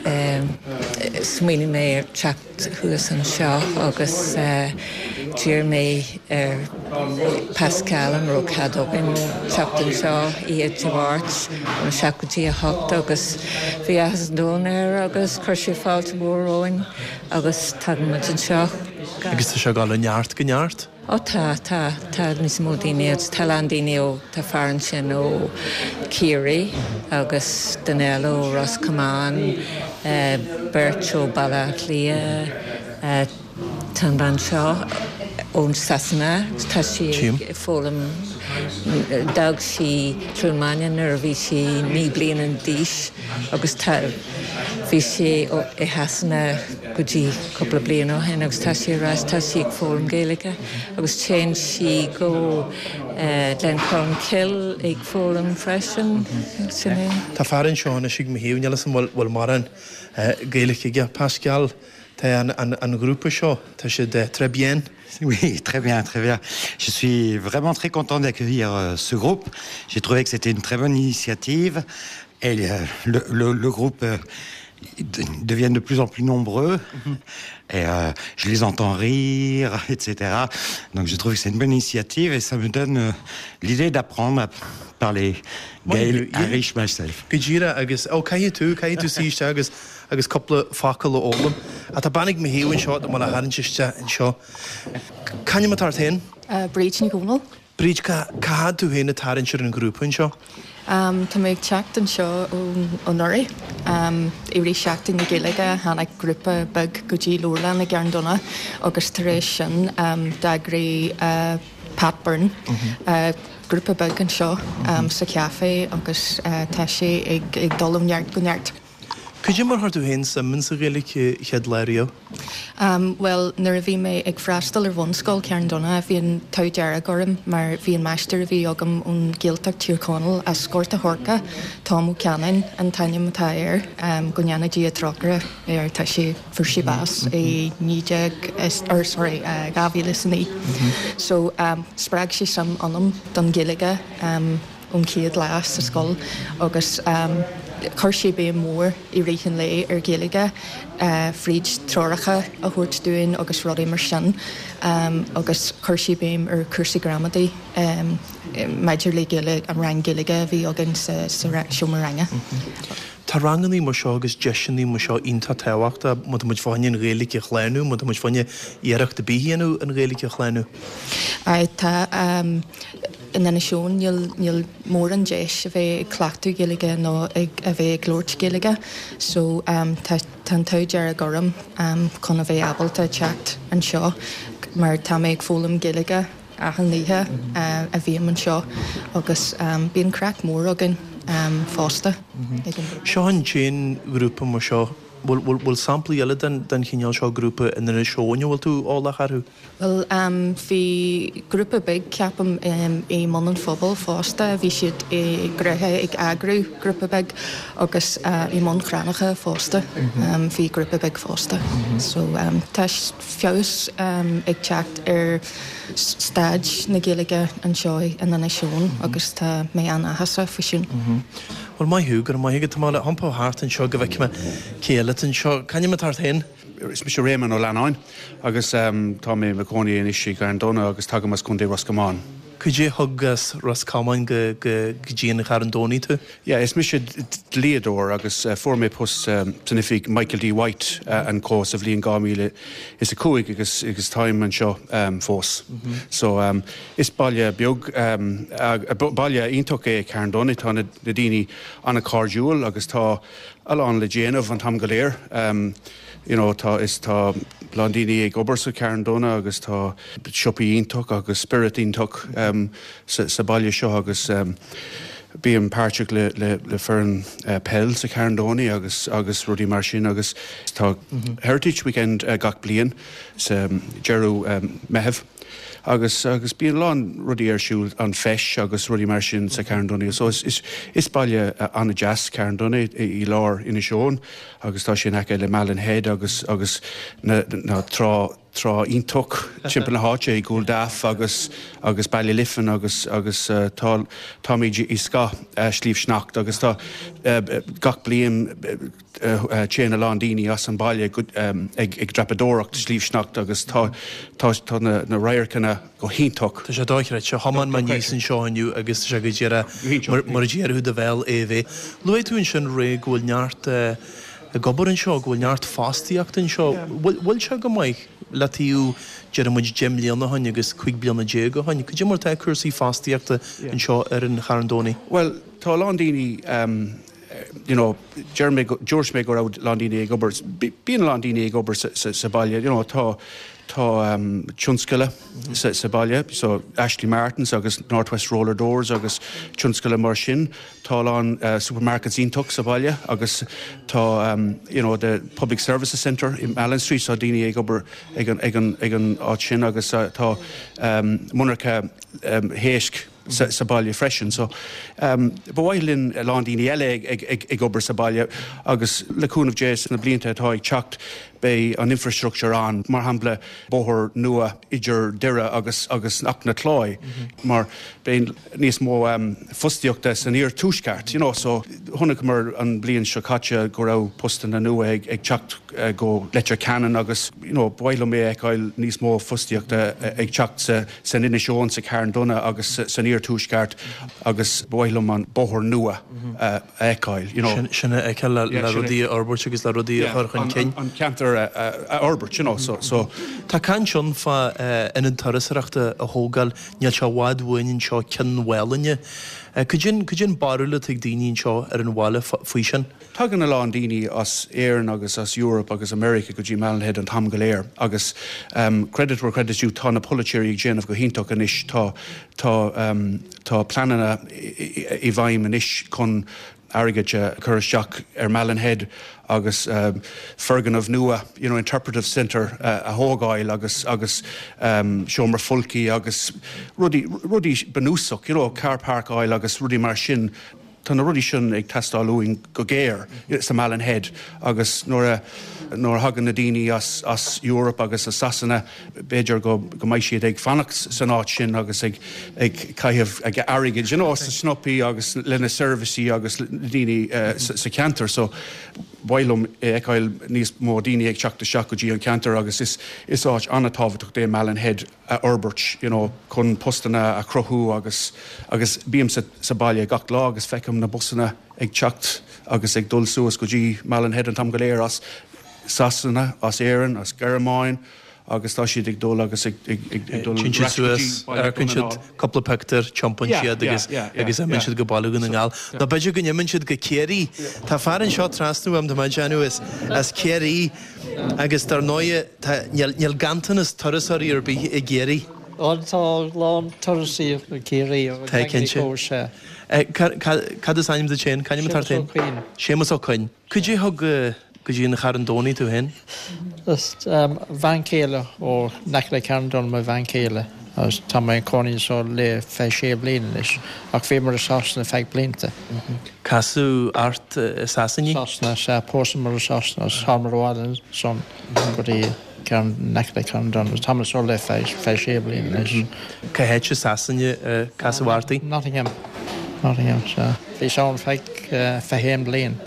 Speaker 6: smaoinigh mé ar teacht thuas anseo agus d'iarr mé ar Pascal an raibh cead againn teacht anseo oíche Dé Máirt óna seacht go dtí a hocht agus bhí áthas an domhain air agus chuir sé fáilte mhór romhainn agus tagann muid anseo.
Speaker 5: Agus tá sé ag dul ó neart go neart?
Speaker 6: Ó tá, tá, tá níos mó daoine agus tá a lán daoine ó, tá fear ansin ó Ciarraí agus duine eile ó Ros Comáin, beirt ó Baile Átha Cliath, tá an bhean seo ón Sasana, tá sí ag foghlaim, d'fhág sí Cluain Maine nuair a bhí sí naoi bliana d'aois agus tá, bhí sí i Shasana go dtí cúpla bliain ó shin agus tá sí ar ais, tá sí ag foghlaim Gaeilge agus téann sí go Glencolmcille ag foghlaim freisin, sin é.
Speaker 5: Tá fear anseo anois ag mo thaobh, níl 'fhios a'm bhfuil bhfuil mórán Gaeilge aige. Pascal, tá an an an ghrúpa seo, tá siad très bien.
Speaker 7: Oui, très bien, très bien. Je suis vraiment très content d'accueillir ce groupe. J'ai trouvé que c'était une très bonne initiative et le, le, le groupe deviennent de plus en plus nombreux mm -hmm. et euh, je les entends rire, etc. Donc je trouve que c'est une bonne initiative et ça me donne euh, l'idée d'apprendre à parler Gael Irish myself.
Speaker 5: Go díreach agus ó caithfidh tú caithfidh tú suí isteach agus agus cúpla focal a fhoghlaim. Ach tá bean ag mo thaobh anseo tá mé le tharraingt isteach anseo. C'ainm atá ort féin?
Speaker 8: Uh, Bríd Ní Dhomhnaill.
Speaker 5: Bríd cá bhfuil tú féin ag tarraingt ar an ghrúpa anseo?
Speaker 8: Um, tá mé ag teacht anseo anuraidh. Um, I rith Seachtain na Gaeilge tháinig grúpa beag go dtí leabharlann i gCarn Domhnach agus tar éis sin um, d'eagraigh uh, Pat Byrne. Mm -hmm. uh, grúpa beag anseo um, sa chaifé agus uh, tá sé ag, ag dul ó neart go neart.
Speaker 5: Cad é mar chuir tú féin suim sa Ghaeilge chéad lá riamh?
Speaker 8: Um, well, nuair a bhí mé ag freastal ar bhunscoil Cearn Donna bhí an t-ádh dearg orm mar bhí an máistir a bhí agam ón Ghaeltacht Tír Chonaill as Gort a' Choirce Tom Ó Ceannain an t-ainm atá air um, go ndéana Dia trócaire air tá sé fuair sé bás i naoi déag or sorry uh, dhá mhíle is a naoi. So um, spreag sé suim ionam don Ghaeilge um, ón chéad lá sa scoil agus um, chuir sé béim mór i rith an lae ar Ghaeilge uh, fríd treoracha a thabhairt dúinn agus rudaí mar sin um, agus chuir sé béim ar cúrsaí gramadaí um, maidir le Gaeilge an rang Gaeilge a bhí againn sa, sa seomra ranga. Mm
Speaker 5: -hmm. Tá ranganna mar seo agus deiseanna mar seo iontach tábhachtach má tá muid fá choinne an Ghaeilge a shlánú, má tá muid fá choinne iarracht ar bith a dhéanamh an Ghaeilge a shlánú.
Speaker 8: Tá um, in Inis Eoghain níl níl mórán deis a bheith ag cleachtadh Gaeilge nó ag a bheith ag labhairt Gaeilge, so um, tá tá an t-ádh dearg orm um, chun a bheith ábalta teacht anseo mar tá mé ag foghlaim Gaeilge achan oíche uh, a bhím anseo agus um, bíonn craic mór againn um, fosta.
Speaker 5: Seo an t-aon ghrúpa mar seo bhfuil samplaí eile den den chineál seo grúpa in Inis Eoghain bhfuil tú eolach orthu?
Speaker 8: Well um, bhí grúpa beag ceapaim um, i mBun an Phobail fosta, bhí siad i gcruthe ag eagrú grúpa beag agus uh, i mBun Cranncha fosta mm -hmm. um, bhí grúpa beag fosta. Mm -hmm. So um, tá feabhas um, ag teacht ar staid na Gaeilge anseo in Inis Eoghain mm -hmm. agus tá mé an-áthasach faoi sin.
Speaker 5: Mm -hmm. Well maith thú go maith go tá le iompó thart anseo go bhfeicfidh mé cé eile anseo C'ainm atá ort féin?
Speaker 9: Is mise Réamonn Ó Leannáin agus um, tá mé i mo chónaí anois i gCarn Domhnach agus tagaim as Contae Ros Comáin.
Speaker 5: Cad é thug as Ros Comáin go go dtí an Charn Domhnach tú?
Speaker 9: Yeah, is mise dlíodóir agus uh, fuair mé post um, san oifig Michael D. White uh, and Co sa bhliain dhá mhíle is a cúig agus agus táim anseo um, fós. Mm -hmm. So um, is baile beag um, baile iontach é Carn Domhnach tá na, na daoine an-chairdiúil agus tá a lán le déanamh an t-am go léir. Um, you know, tá is tá lán daoine ag obair sa Carn Domhnach agus tá siopaí iontach agus spiorad iontach um, sa, sa baile seo agus um, Bím páirteach le le le foireann uh, peil sa Charn Domhnaigh agus agus rudaí mar sin agus tá mm -hmm. Heritage Weekend uh, gach bliain sa um, deireadh um, Meitheamh. agus agus bíonn lán rudaí ar siúl an feis agus rudaí mar sin sa Charn Domhnaigh. So is, is, is baile uh, an-deas Carn Domhnaigh i, i lár Inis Eoghain agus tá sé in aice le Malin Head agus agus na, na trá trá iontach timpeall na háite i Cúil Dath agus agus Ballyliffin agus agus uh, tá táimid i scáth uh, Sliabh Sneachta agus tá uh, gach bliain uh, téann a lán daoine as an baile um, ag, ag dreapadóireacht Sliabh Sneachta agus tá tá tá na, na radharcanna go hiontach.
Speaker 5: Tá sé dochreidte thiomáin mé aníos anseo inniu agus tá sé go díreach mar a déarfá do bhéal é bheith. Luaigh tú ansin ré go bhfuil neart ag obair anseo go bhfuil neart fostaíocht anseo. Bhfuil sé go maith le taobh deir muid deich mbliana ó shin agus cúig bliana déag ó shin. Cad é mar tá cúrsaí fostaíochta anseo ar an Charn Domhnaigh?
Speaker 9: Well, tá lán daoine um, you know, dúirt mé go raibh lán daoine ag obair bíonn lán daoine ag obair sa, sa, sa baile, you know, tá tá um, tionscail mm -hmm. sa, sa baile, so Ashley Martins agus Northwest Roller Doors agus tionscail mar sin tá lán uh, supermarkets iontach sa baile agus tá um, you know, the Public Services Centre in Allen Street so daoine ag obair ag an, ag an, ag an áit sin agus uh, tá um, monarcha um, éisc sa, sa baile freisin. So um, ba mhaith linn lán daoine eile ag, ag, ag, ag obair sa baile agus le cúnamh Dé na blianta atá ag teacht beidh an infrastructure ann mar shampla bóthar nua idir Doire agus agus nach na Cláí mm -hmm. mar beidh níos mó um, fostaíochta san iarthuaisceart you know, so chonaiceamar an bliain seo caite go raibh postanna nua ag, ag teacht uh, go Leitir Ceanainn agus you know, ba mhaith liom é fheiceáil níos mó fostaíochta uh, ag teacht sa, san Inis Eoghain sa Charn Domhnach agus san iarthuaisceart agus ba mhaith liom an bóthar nua mm -hmm. uh, a fheiceáil. You know.
Speaker 5: Sin a fheiceáil le, le rudaí a fhorbairt agus le rudaí a chur chun cinn.
Speaker 9: An ceantar a fhorbairt, you know, so, so.
Speaker 5: Tá caint ann fá ionad turasóireachta a thógáil níl sé i bhfad uainn anseo Cionn Mhálanna. Cad é an barúil atá ag daoine anseo ar an bhaile faoi sin?
Speaker 9: Tagann a lán daoine as Éirinn agus as Europe agus America go dtí Malin Head an t-am go léir agus um, credit where credit due tá na polaiteoirí ag déanamh go hiontach anois tá tá um, tá pleananna i bhfeidhm anois chun airgead a chur isteach ar Malin Head agus um, foirgneamh nua you know, interpretive centre uh, a thógáil agus agus um, seomra folctha agus rudaí rudaí bunúsach you know, car park áil agus rudaí mar sin Tá na rudaí sin ag teastáil uainn go géar sa Malin Head agus nuair a nuair a thagann na daoine as, as Europe agus as Sasana b'fhéidir go go mbeidh siad ag fanacht san áit sin agus ag ag caitheamh ag airgead you know, sa siopaí agus lena seirbhísí agus daoine uh, sa, sa ceantar so ba mhaith liom fheiceáil níos mó daoine ag teacht isteach go dtí an ceantar agus is is áit an-tábhachtach é Malin Head a fhorbairt you know, chun postanna a chruthú agus agus bím sa, sa baile gach lá agus feicim na busanna ag teacht agus ag dul suas go dtí Malin Head an t-am go léir as Sasana, as Éirinn, as Gearmáin agus tá siad ag dul agus ag dul
Speaker 5: suas amharcann siad cúpla pictiúr tiompaíonn siad agus agus imíonn siad go Baile Dhún na nGall. Nó b'fhéidir go n-imíonn siad go Ciarraí. Tá fear anseo trasna uaim tá mé ag as as Ciarraí agus dar ndóigh níl ganntanas turasóirí ar bith i gCiarraí.
Speaker 10: Ó tá lán turasóirí i gCiarraí
Speaker 5: Tá cinnte. Cad is ainm duit féin Cad ainm atá ort? Séamus Ó Coinn. Cad é thug go dtí an Charn Domhnaigh tú féin?
Speaker 10: Is um, bhean chéile ó in aice le Carn Domhnach mo bhean chéile agus tá mé i mo chónaí anseo le fiche sé bliana anois ach bhíomar i Sasana feadh blianta.
Speaker 5: Casadh ort i Sasana?
Speaker 10: Sasana sea pósamar i Sasana agus thángamar abhaile ansan go dtí Ceann in aice le Carn Domhnach tá mé anseo le fiche sé bliana anois.
Speaker 5: Cá háit i Sasana casadh ort í?
Speaker 10: Nottingham Nottingham sea. Bhí ann feadh fiche haon bliain.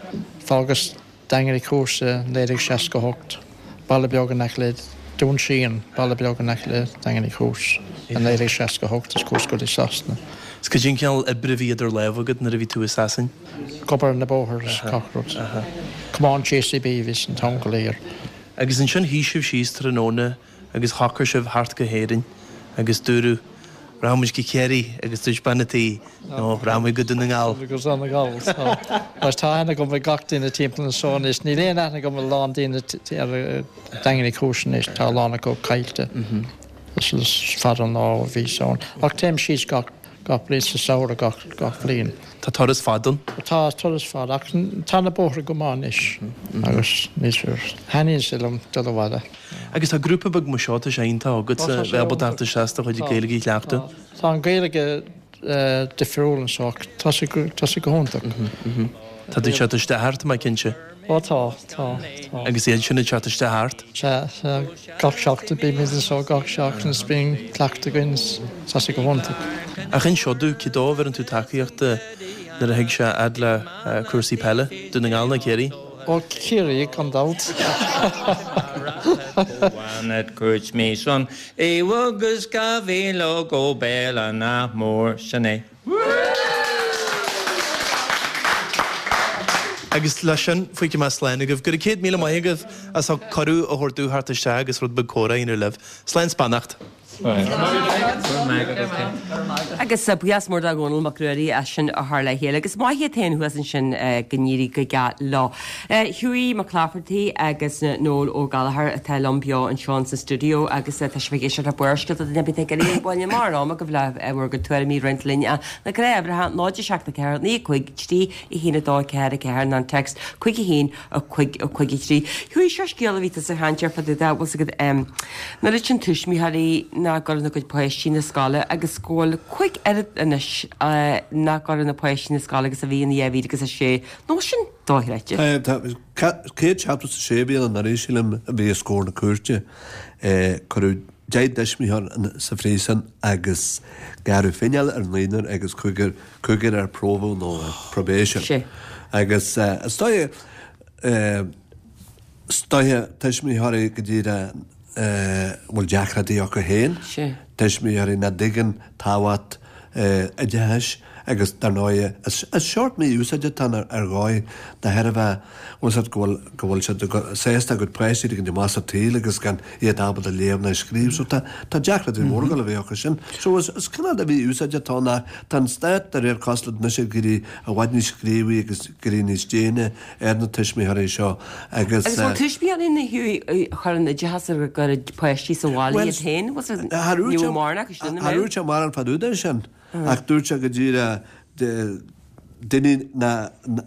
Speaker 10: Fágas Daingean Uí Chúis naoi déag seasca hocht. Baile beag in aice le Dún Síon, baile beag in aice le Daingean Uí Chúis i naoi déag seasca hocht is chuas go dtí Sasana.
Speaker 5: Is cad é an cineál oibre a bhí idir lámha agat nuair a bhí tú i Sasain?
Speaker 10: Ag obair ar na bóithre is gach rud. Tiomáint JCB bhíos an t-am go léir.
Speaker 5: Agus ansin shuigh sibh síos tráthnóna agus shocraigh sibh theacht go hÉirinn agus dúradh Rachaimid go Ciarraí agus dúirt bean an tí nó rachaimid go Dún na nGall.
Speaker 10: Go Dún na nGall. Mar tá aithne agam ar gach duine timpeall anseo anois. Níl aon aithne agam ar lán daoine ar Daingean Uí Chúis anois, tá a lán acu caillte. Is fada an lá ó bhíos ann. Ach téim síos gach gach bliain sa samhradh gach, gach bliain.
Speaker 5: Tá turas fada ann?
Speaker 10: Tá turas fada ach tá na bóithre go maith anois agus níos thaitníonn sé liom dul abhaile.
Speaker 5: Agus tá grúpa beag mar seo, tá sé iontach agatsa
Speaker 10: Tá sé
Speaker 5: bheith ábalta
Speaker 10: iontach.
Speaker 5: teacht isteach is do chuid
Speaker 10: Tá.
Speaker 5: Gaeilge a chleachtadh.
Speaker 10: Tá an Ghaeilge difriúil anseo ach tá sé go, tá sé go hiontach.
Speaker 5: Tá tú ag teacht isteach ort, tá mé cinnte.
Speaker 10: Ó tá, tá, tá.
Speaker 5: Agus iad sin ag teacht isteach ort.
Speaker 10: Sea, sea, gach seachtain, bímid anseo gach seachtain is bíonn cleachtadh againn is tá sé go hiontach.
Speaker 5: Ach inis domh, cé dó a bheireann tú tacaíocht nuair a thig sé fhad le cúrsaí peile, Dún na nGall nó Ciarraí?
Speaker 10: Ó Ciarraí gan dabht.
Speaker 11: Cuairt mí san agus go bhíle go béal nach mór sin é.
Speaker 5: Agus leis sin fágfaidh mé slán agaibh. Go raibh céad míle maith agaibh as ucht cuireadh a thabhairt domh theacht isteach agus rud beag comhrá a dhéanamh libh. Slán 's beannacht.
Speaker 1: Agus buíochas mór do Dhónall Mac Ruairí as sin a chur le chéile. Agus maith iad féin thuas ansin go n-éirí go geal leo. Hughie McClafferty agus Noel Ó Gallchóir atá liom beo anseo sa stiúideo agus tá sibh ag éisteacht le Barrscéalta duine ar bith ag iarraidh bualadh amach ar am agaibh le bhur gcuid tuairimí a roinnt linn na gnáth-uimhreacha náid a seacht a ceathair naoi a cúig trí a haon a dó a ceathair a ceathair nó an text cúig a haon a cúig a cúig a trí. Hughie seo scéal a bhí tusa ag caint air fá dtaobh de, bhfuil 's agat an oiread sin tuismitheoirí nach gcuireann a gcuid páistí na scoile agus go bhfuil cúig oiread anois nach gcuireann na páistí na scoile agus a bhí in dhá mhíle agus a sé nó sin dochreidte.
Speaker 2: Céad seachtó is a sé a bhí ann anuraidh sílim a bhí os comhair na cúirte. Cuireadh deich dtuismitheoir sa phríosún agus gearradh fineáil ar naonúr agus cúigear cúigear ar promhadh nó probation. Agus is dóigh is dóigh tuismitheoirí go díreach bhfuil deacrachtaí acu féin, tuismitheoirí nach dtuigeann tábhacht oideachais agus dar ndóigh is seort mí-úsáid atá ann ar dhóigh de thairbhe bhfuil siad go bhfuil go bhfuil siad sásta a gcuid páistí a ligean amach sa tsaol agus gan iad ábalta léamh ná scríobh so tá tá deacrachtaí móra ag dul a bheith acu sin. So is is cineál de mhí-úsáid atá ann ach tá an stát de réir cosúlacht anois ag iarraidh i bhfad níos gníomhaí agus ag éirí níos déine ar na tuismitheoirí seo agus
Speaker 1: Agus bhfuil tuismitheoirí na Hughie a chuireann oideachas ar a gcuid páistí sa bhaile iad féin? Was it ní bhfuil mórán acu sin, an
Speaker 2: Cha dúirt sé mórán fá dtaobh de sin ach dúirt sé go díreach daoine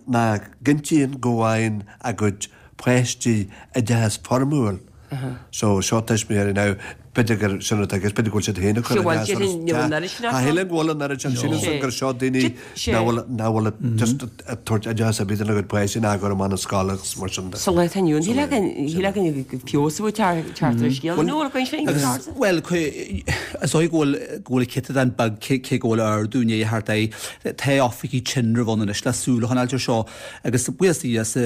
Speaker 2: nach gcinntíonn go bhfaigheann a gcuid páistí oideachas foirmiúil. So seo tuismitheoirí now b'fhéidir gur sin atá i gceist, b'fhéidir go bhfuil siad féin ag cur oideachas orthu. Tá shílim go bhfuil an oiread sin, sílim gur seo daoine nach bhfuil nach bhfuil just ag tabhairt oideachas ar bith dona gcuid páistí ná ag cur amach na scoile agus mar sin de.
Speaker 1: Sa lá atá inniu ann, shílfeá go feabhas a bhfuil teacht ar an scéal, nó an bhfuil sin ceart?
Speaker 3: Bhuel, is dóigh go bhfuil go bhfuil céatadán beag cé go bhfuil ardú i ndiaidh theacht air. Tá oifigigh tinrimh ann anois le súil a choinneáilt air seo agus buíochas do Dhia sa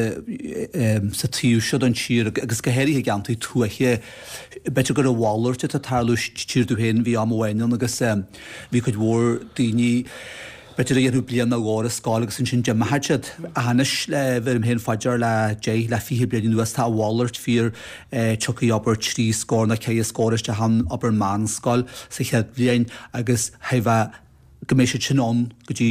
Speaker 3: sa taobh seo den tír agus go háirithe i gceantair tuaithe, b'fhéidir gur a mhalairt atá ag tarlú sa tír dúinn féin, bhí am amháin ann agus bhí cuid mhór daoine b'fhéidir a dhéanfadh bliain nó dhó ar an scoil agus ansin d'imeodh siad. Ach anois le bheirim féin fá dear le deich le fiche bliain anuas tá a mhalairt fíor, tiocfaidh abair trí scór nó ceithre scór isteach ann abair meánscoil sa chéad bhliain agus theifeadh go mbeidh siad sin ann go dtí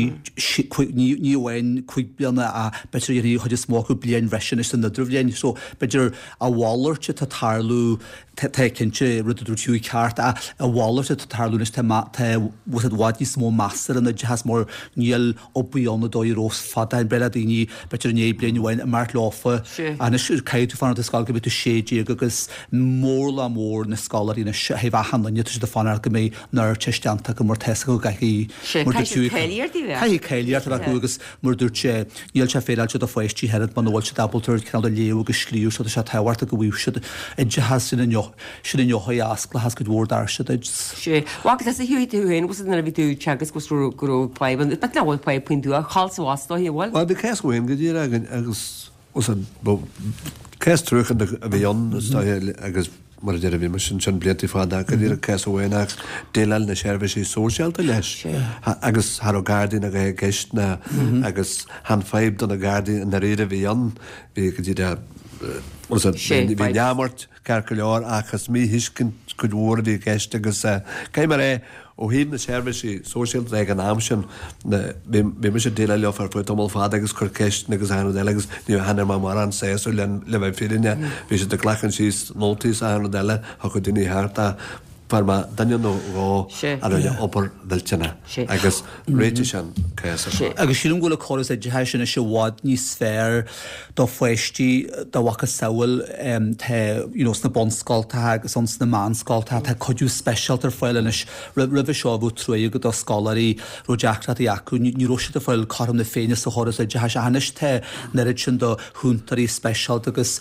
Speaker 3: ní ní amháin cúig bliana ach b'fhéidir dhéanfaidh an chuid is mó acu bliain bhreise anois san idirbhliain. So b'fhéidir a mhalairt atá ag tarlú, tá cinnte rud a dúirt Hughie ceart ach a mhalairt atá ag tarlú anois tá tá bhfuil i bhfad níos mó meas ar an oideachas mar níl obair ann an dóigh a raibh fadó. Ba bhreá le daoine b'fhéidir i ndiaidh bliain amháin imeacht leofa. Anois caithfidh tú fanacht i scoil go mbeidh tú sé déag agus mórlach mór na scoláirí anois ó thaobh achan duine tá siad ag fanacht go mbeidh an Ardteist déanta acu mar tá 'fhios acu go gcaithfidh Mar dúirt Hughie, caithfidh cáilíocht a bheith acu agus mar dúirt sé, níl sé féaráilte do pháistí oiread muna bhfuil siad ábalta cineál de léamh agus scríobh so tá sé tábhachtach go bhfaigheadh siad oideachas sin an sin an eochair a osclóchas cuid mhór doirse duit.
Speaker 1: Sea. Bhuel, agus is a Hughie tú féin, agus nuair a bhí tú ag teagasc go raibh go raibh fadhb ann, but nach bhfuil fadhb faoin tuath, thall sa bhus dóiche, an bhfuil?
Speaker 2: Bhuel, bhí cás amháin go díreach againn agus cás truacánta a bhí ann is dóiche agus mar a deir bhí mise ansin blianta fada go díreach cás amháin ach déileáil na seirbhísí sóisialta leis agus cha raibh Gardaí ná a dhath i gceist ná agus chan fadhb do na Gardaí i ndáiríre a bhí ann bhí go díreach bhí neamart ceart go leor ach is míthuiscint cuid mhór a bhí i gceist agus caithfidh mé a rá ó thaobh na seirbhísí sóisialta de ag an am sin bhí bhí mise ag déileáil leo ar feadh tamall fada agus cur ceisteanna agus achan rud eile agus ní chan fhuair mé mórán sásamh le le bheith fírinneach. Bhí siad ag glacadh síos nótaí is achan rud eile, thiocfadh daoine thart ach Fuair mé duine nó dhó a rinne obair mhillteanach agus réitigh sin cás ar fad.
Speaker 3: Agus sílim go bhfuil an córas oideachais anois i bhfad níos fearr do pháistí dá mhacasamhail tá you know sna bunscoltacha agus ann sna meánscoltacha tá cuidiú speisialta ar fáil anois. Roimhe seo bheadh trua agat do scoláirí raibh deacrachtaí acu, ní raibh siad ag fáil cothrom na Féinne sa chóras oideachais ach anois tá an oiread sin do chúntóirí speisialta agus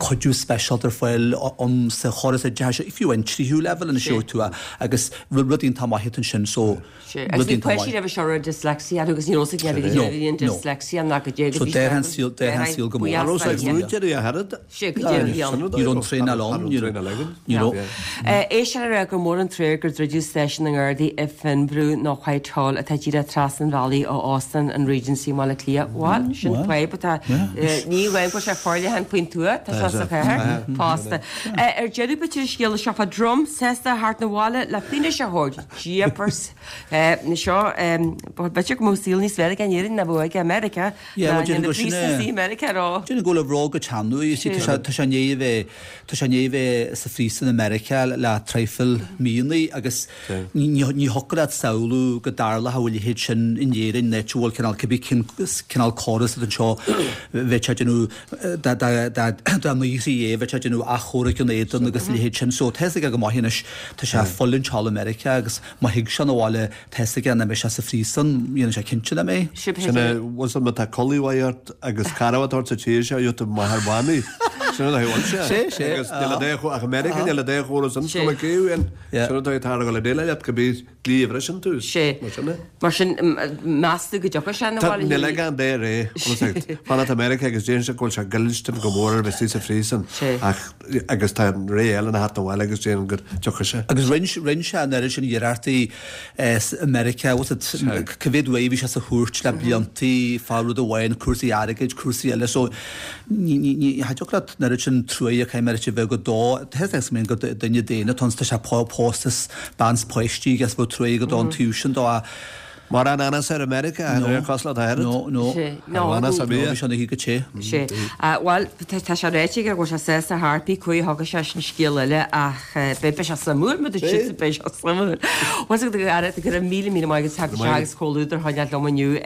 Speaker 3: cuidiú speisialta ar fáil ann sa chóras oideachais, fiú an tríú leibhéal anois gheobhaidh tú é agus rud iontach maith atá ansin so
Speaker 1: Agus
Speaker 3: rud
Speaker 1: bhí
Speaker 3: iontach
Speaker 1: páistí
Speaker 3: maith.
Speaker 1: roimhe seo a raibh dyslexia orthu agus ní raibh a fhios ag
Speaker 3: No,
Speaker 1: éinne bhí an
Speaker 3: no.
Speaker 1: dyslexia ná go dté go
Speaker 3: So
Speaker 1: bhí
Speaker 3: d'athraigh an saol, d'athraigh an saol go mór.
Speaker 2: An raibh sé ag múinteoirí a oiread?
Speaker 1: Sé go dté bhí ann.
Speaker 3: Ní raibh an traenáil ann, ní raibh, ní raibh.
Speaker 1: É sin a rá gur mór an trua gur druideadh Stáisiún na nGardaí i Fionnbhrú nó Whitehall atá díreach trasna an bhealaigh ó Óstán an Regency i mBaile Átha Cliath. Bhuel, sin fadhb atá, ní amháin go bhfuil sé forleathan faoin tuath, tá sé sa chathair fosta. Ar deireadh b'fhéidir an scéal seo fá drum sásta a theacht 'na bhaile le fianaise a thabhairt. Jeepers. Seo, b'fhéidir go mbeadh saol níos fearr aige in Éirinn ná bheadh aige i Meiriceá.
Speaker 3: Yeah,
Speaker 1: ná
Speaker 3: well, déarfainn
Speaker 1: na
Speaker 3: go sin é.
Speaker 1: príosúin i Meiriceá rá.
Speaker 3: Déarfainn go bhfuil a bhróga teannadh, you see, tá sé tá sé i ndiaidh a bheith tá sé i ndiaidh a bheith sa phríosún i Meiriceá le traidhfil míonna agus ní ní ní thiocfadh leat samhlú go dtarlódh a leithéid sin in Éirinn, áit a bhfuil cineál cibé cén cineál córas atá anseo bheadh sé ag déanamh dá dá dá dá ndaorfaí é bheadh sé ag déanamh achomharc ina éadan agus a leithéid sin. So tá fhios aige go maith anois tá sé ag fulaingt thall i Meiriceá agus má thig sé 'na bhaile tá fhios aige nach mbeidh sé sa phríosún, dhéanfaidh sé cinnte nach mbeidh.
Speaker 2: Sin é, bhfuil fhios agat má tá culaith mhaith ort agus carbhat ort sa tír seo, gheobhaidh tú máthair mhanaí. Sin an dóigh a bhfuil sé.
Speaker 3: Sé, sé.
Speaker 2: Agus níl a dóigh ach i Meiriceá níl a dóigh chóras sin, is cuma cé thú féin. Sin an dóigh atá ag dul a déileáil leat, cibé dlí a bhriseann tú.
Speaker 1: Sé.
Speaker 2: Mar sin é.
Speaker 1: Mar sin, meas tú go dtiocfaidh sé 'na
Speaker 2: Tá,
Speaker 1: bhaile
Speaker 2: níl ag an dé ré, fanacht i Meiriceá agus déarfainn sé go bhfuil sé goilstin go mór ar bheith istigh sa phríosún ach agus tá an ré eile ina theacht 'na bhaile agus déarfainn go dtiocfaidh sé.
Speaker 3: Agus rinne, rinne sé an oiread sin iarrachtaí i Meiriceá, what's it, cá mhéad uair a bhí sé sa chúirt le bliantaí fá rud amháin, cúrsaí airgid, cúrsaí eile, so ní, ní, ní, cha dtiocfadh leat an oiread sin truaighe a chaith a bheith go dó, tá fhios agam go duine daonna atá ann, tá sé pósta is bean 's páistí aige is bheadh truaighe agat don taobh sin dó ach
Speaker 2: Mar an anas ar America,
Speaker 3: No.
Speaker 2: ar cosla tá
Speaker 3: No, no.
Speaker 1: Sé. No,
Speaker 2: Ar anas a
Speaker 3: No,
Speaker 2: bhí.
Speaker 3: bhí sé ina shuí go te.
Speaker 1: Sé. Bhuel, tá sé ráite aige go bhfuil sé sásta theacht pé chaoi a thiocfaidh sé sin scéal eile ach beidh sé suimiúil, má dúirt siad beidh sé suimiúil. Bhuel, go go raibh míle míle maith agat teacht isteach agus comhluadar a choinneáil liom inniu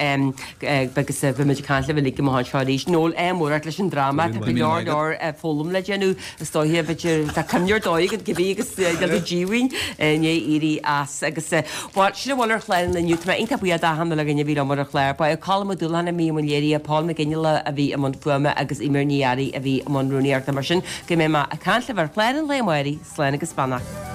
Speaker 1: agus beidh muid ag caint libh uilig amach anseo arís. Noel, ádh mór ort leis an dráma, tá go leor leor foghlaim le déanamh is dóiche b'fhéidir tá cuimhne ar dóigh agat cibé agus níl tú díomhaoin i ndiaidh éirí as agus bhuel sin a bhfuil ar chlár an lae inniu. Tá mé iontach buíoch d'achan uile dhuine a bhí liom ar an chlár. Ba é Colm Ó Dúlacháin a bhí i mbun léirithe, Paul Mac Fhionnghaile a bhí i mbun fuaime agus Eimear Ní Fhearraigh a bhí i mbun rúnaíochta. Mar sin go mbeidh mé ag caint libh ar chlár an lae amárach, slán agus beannacht.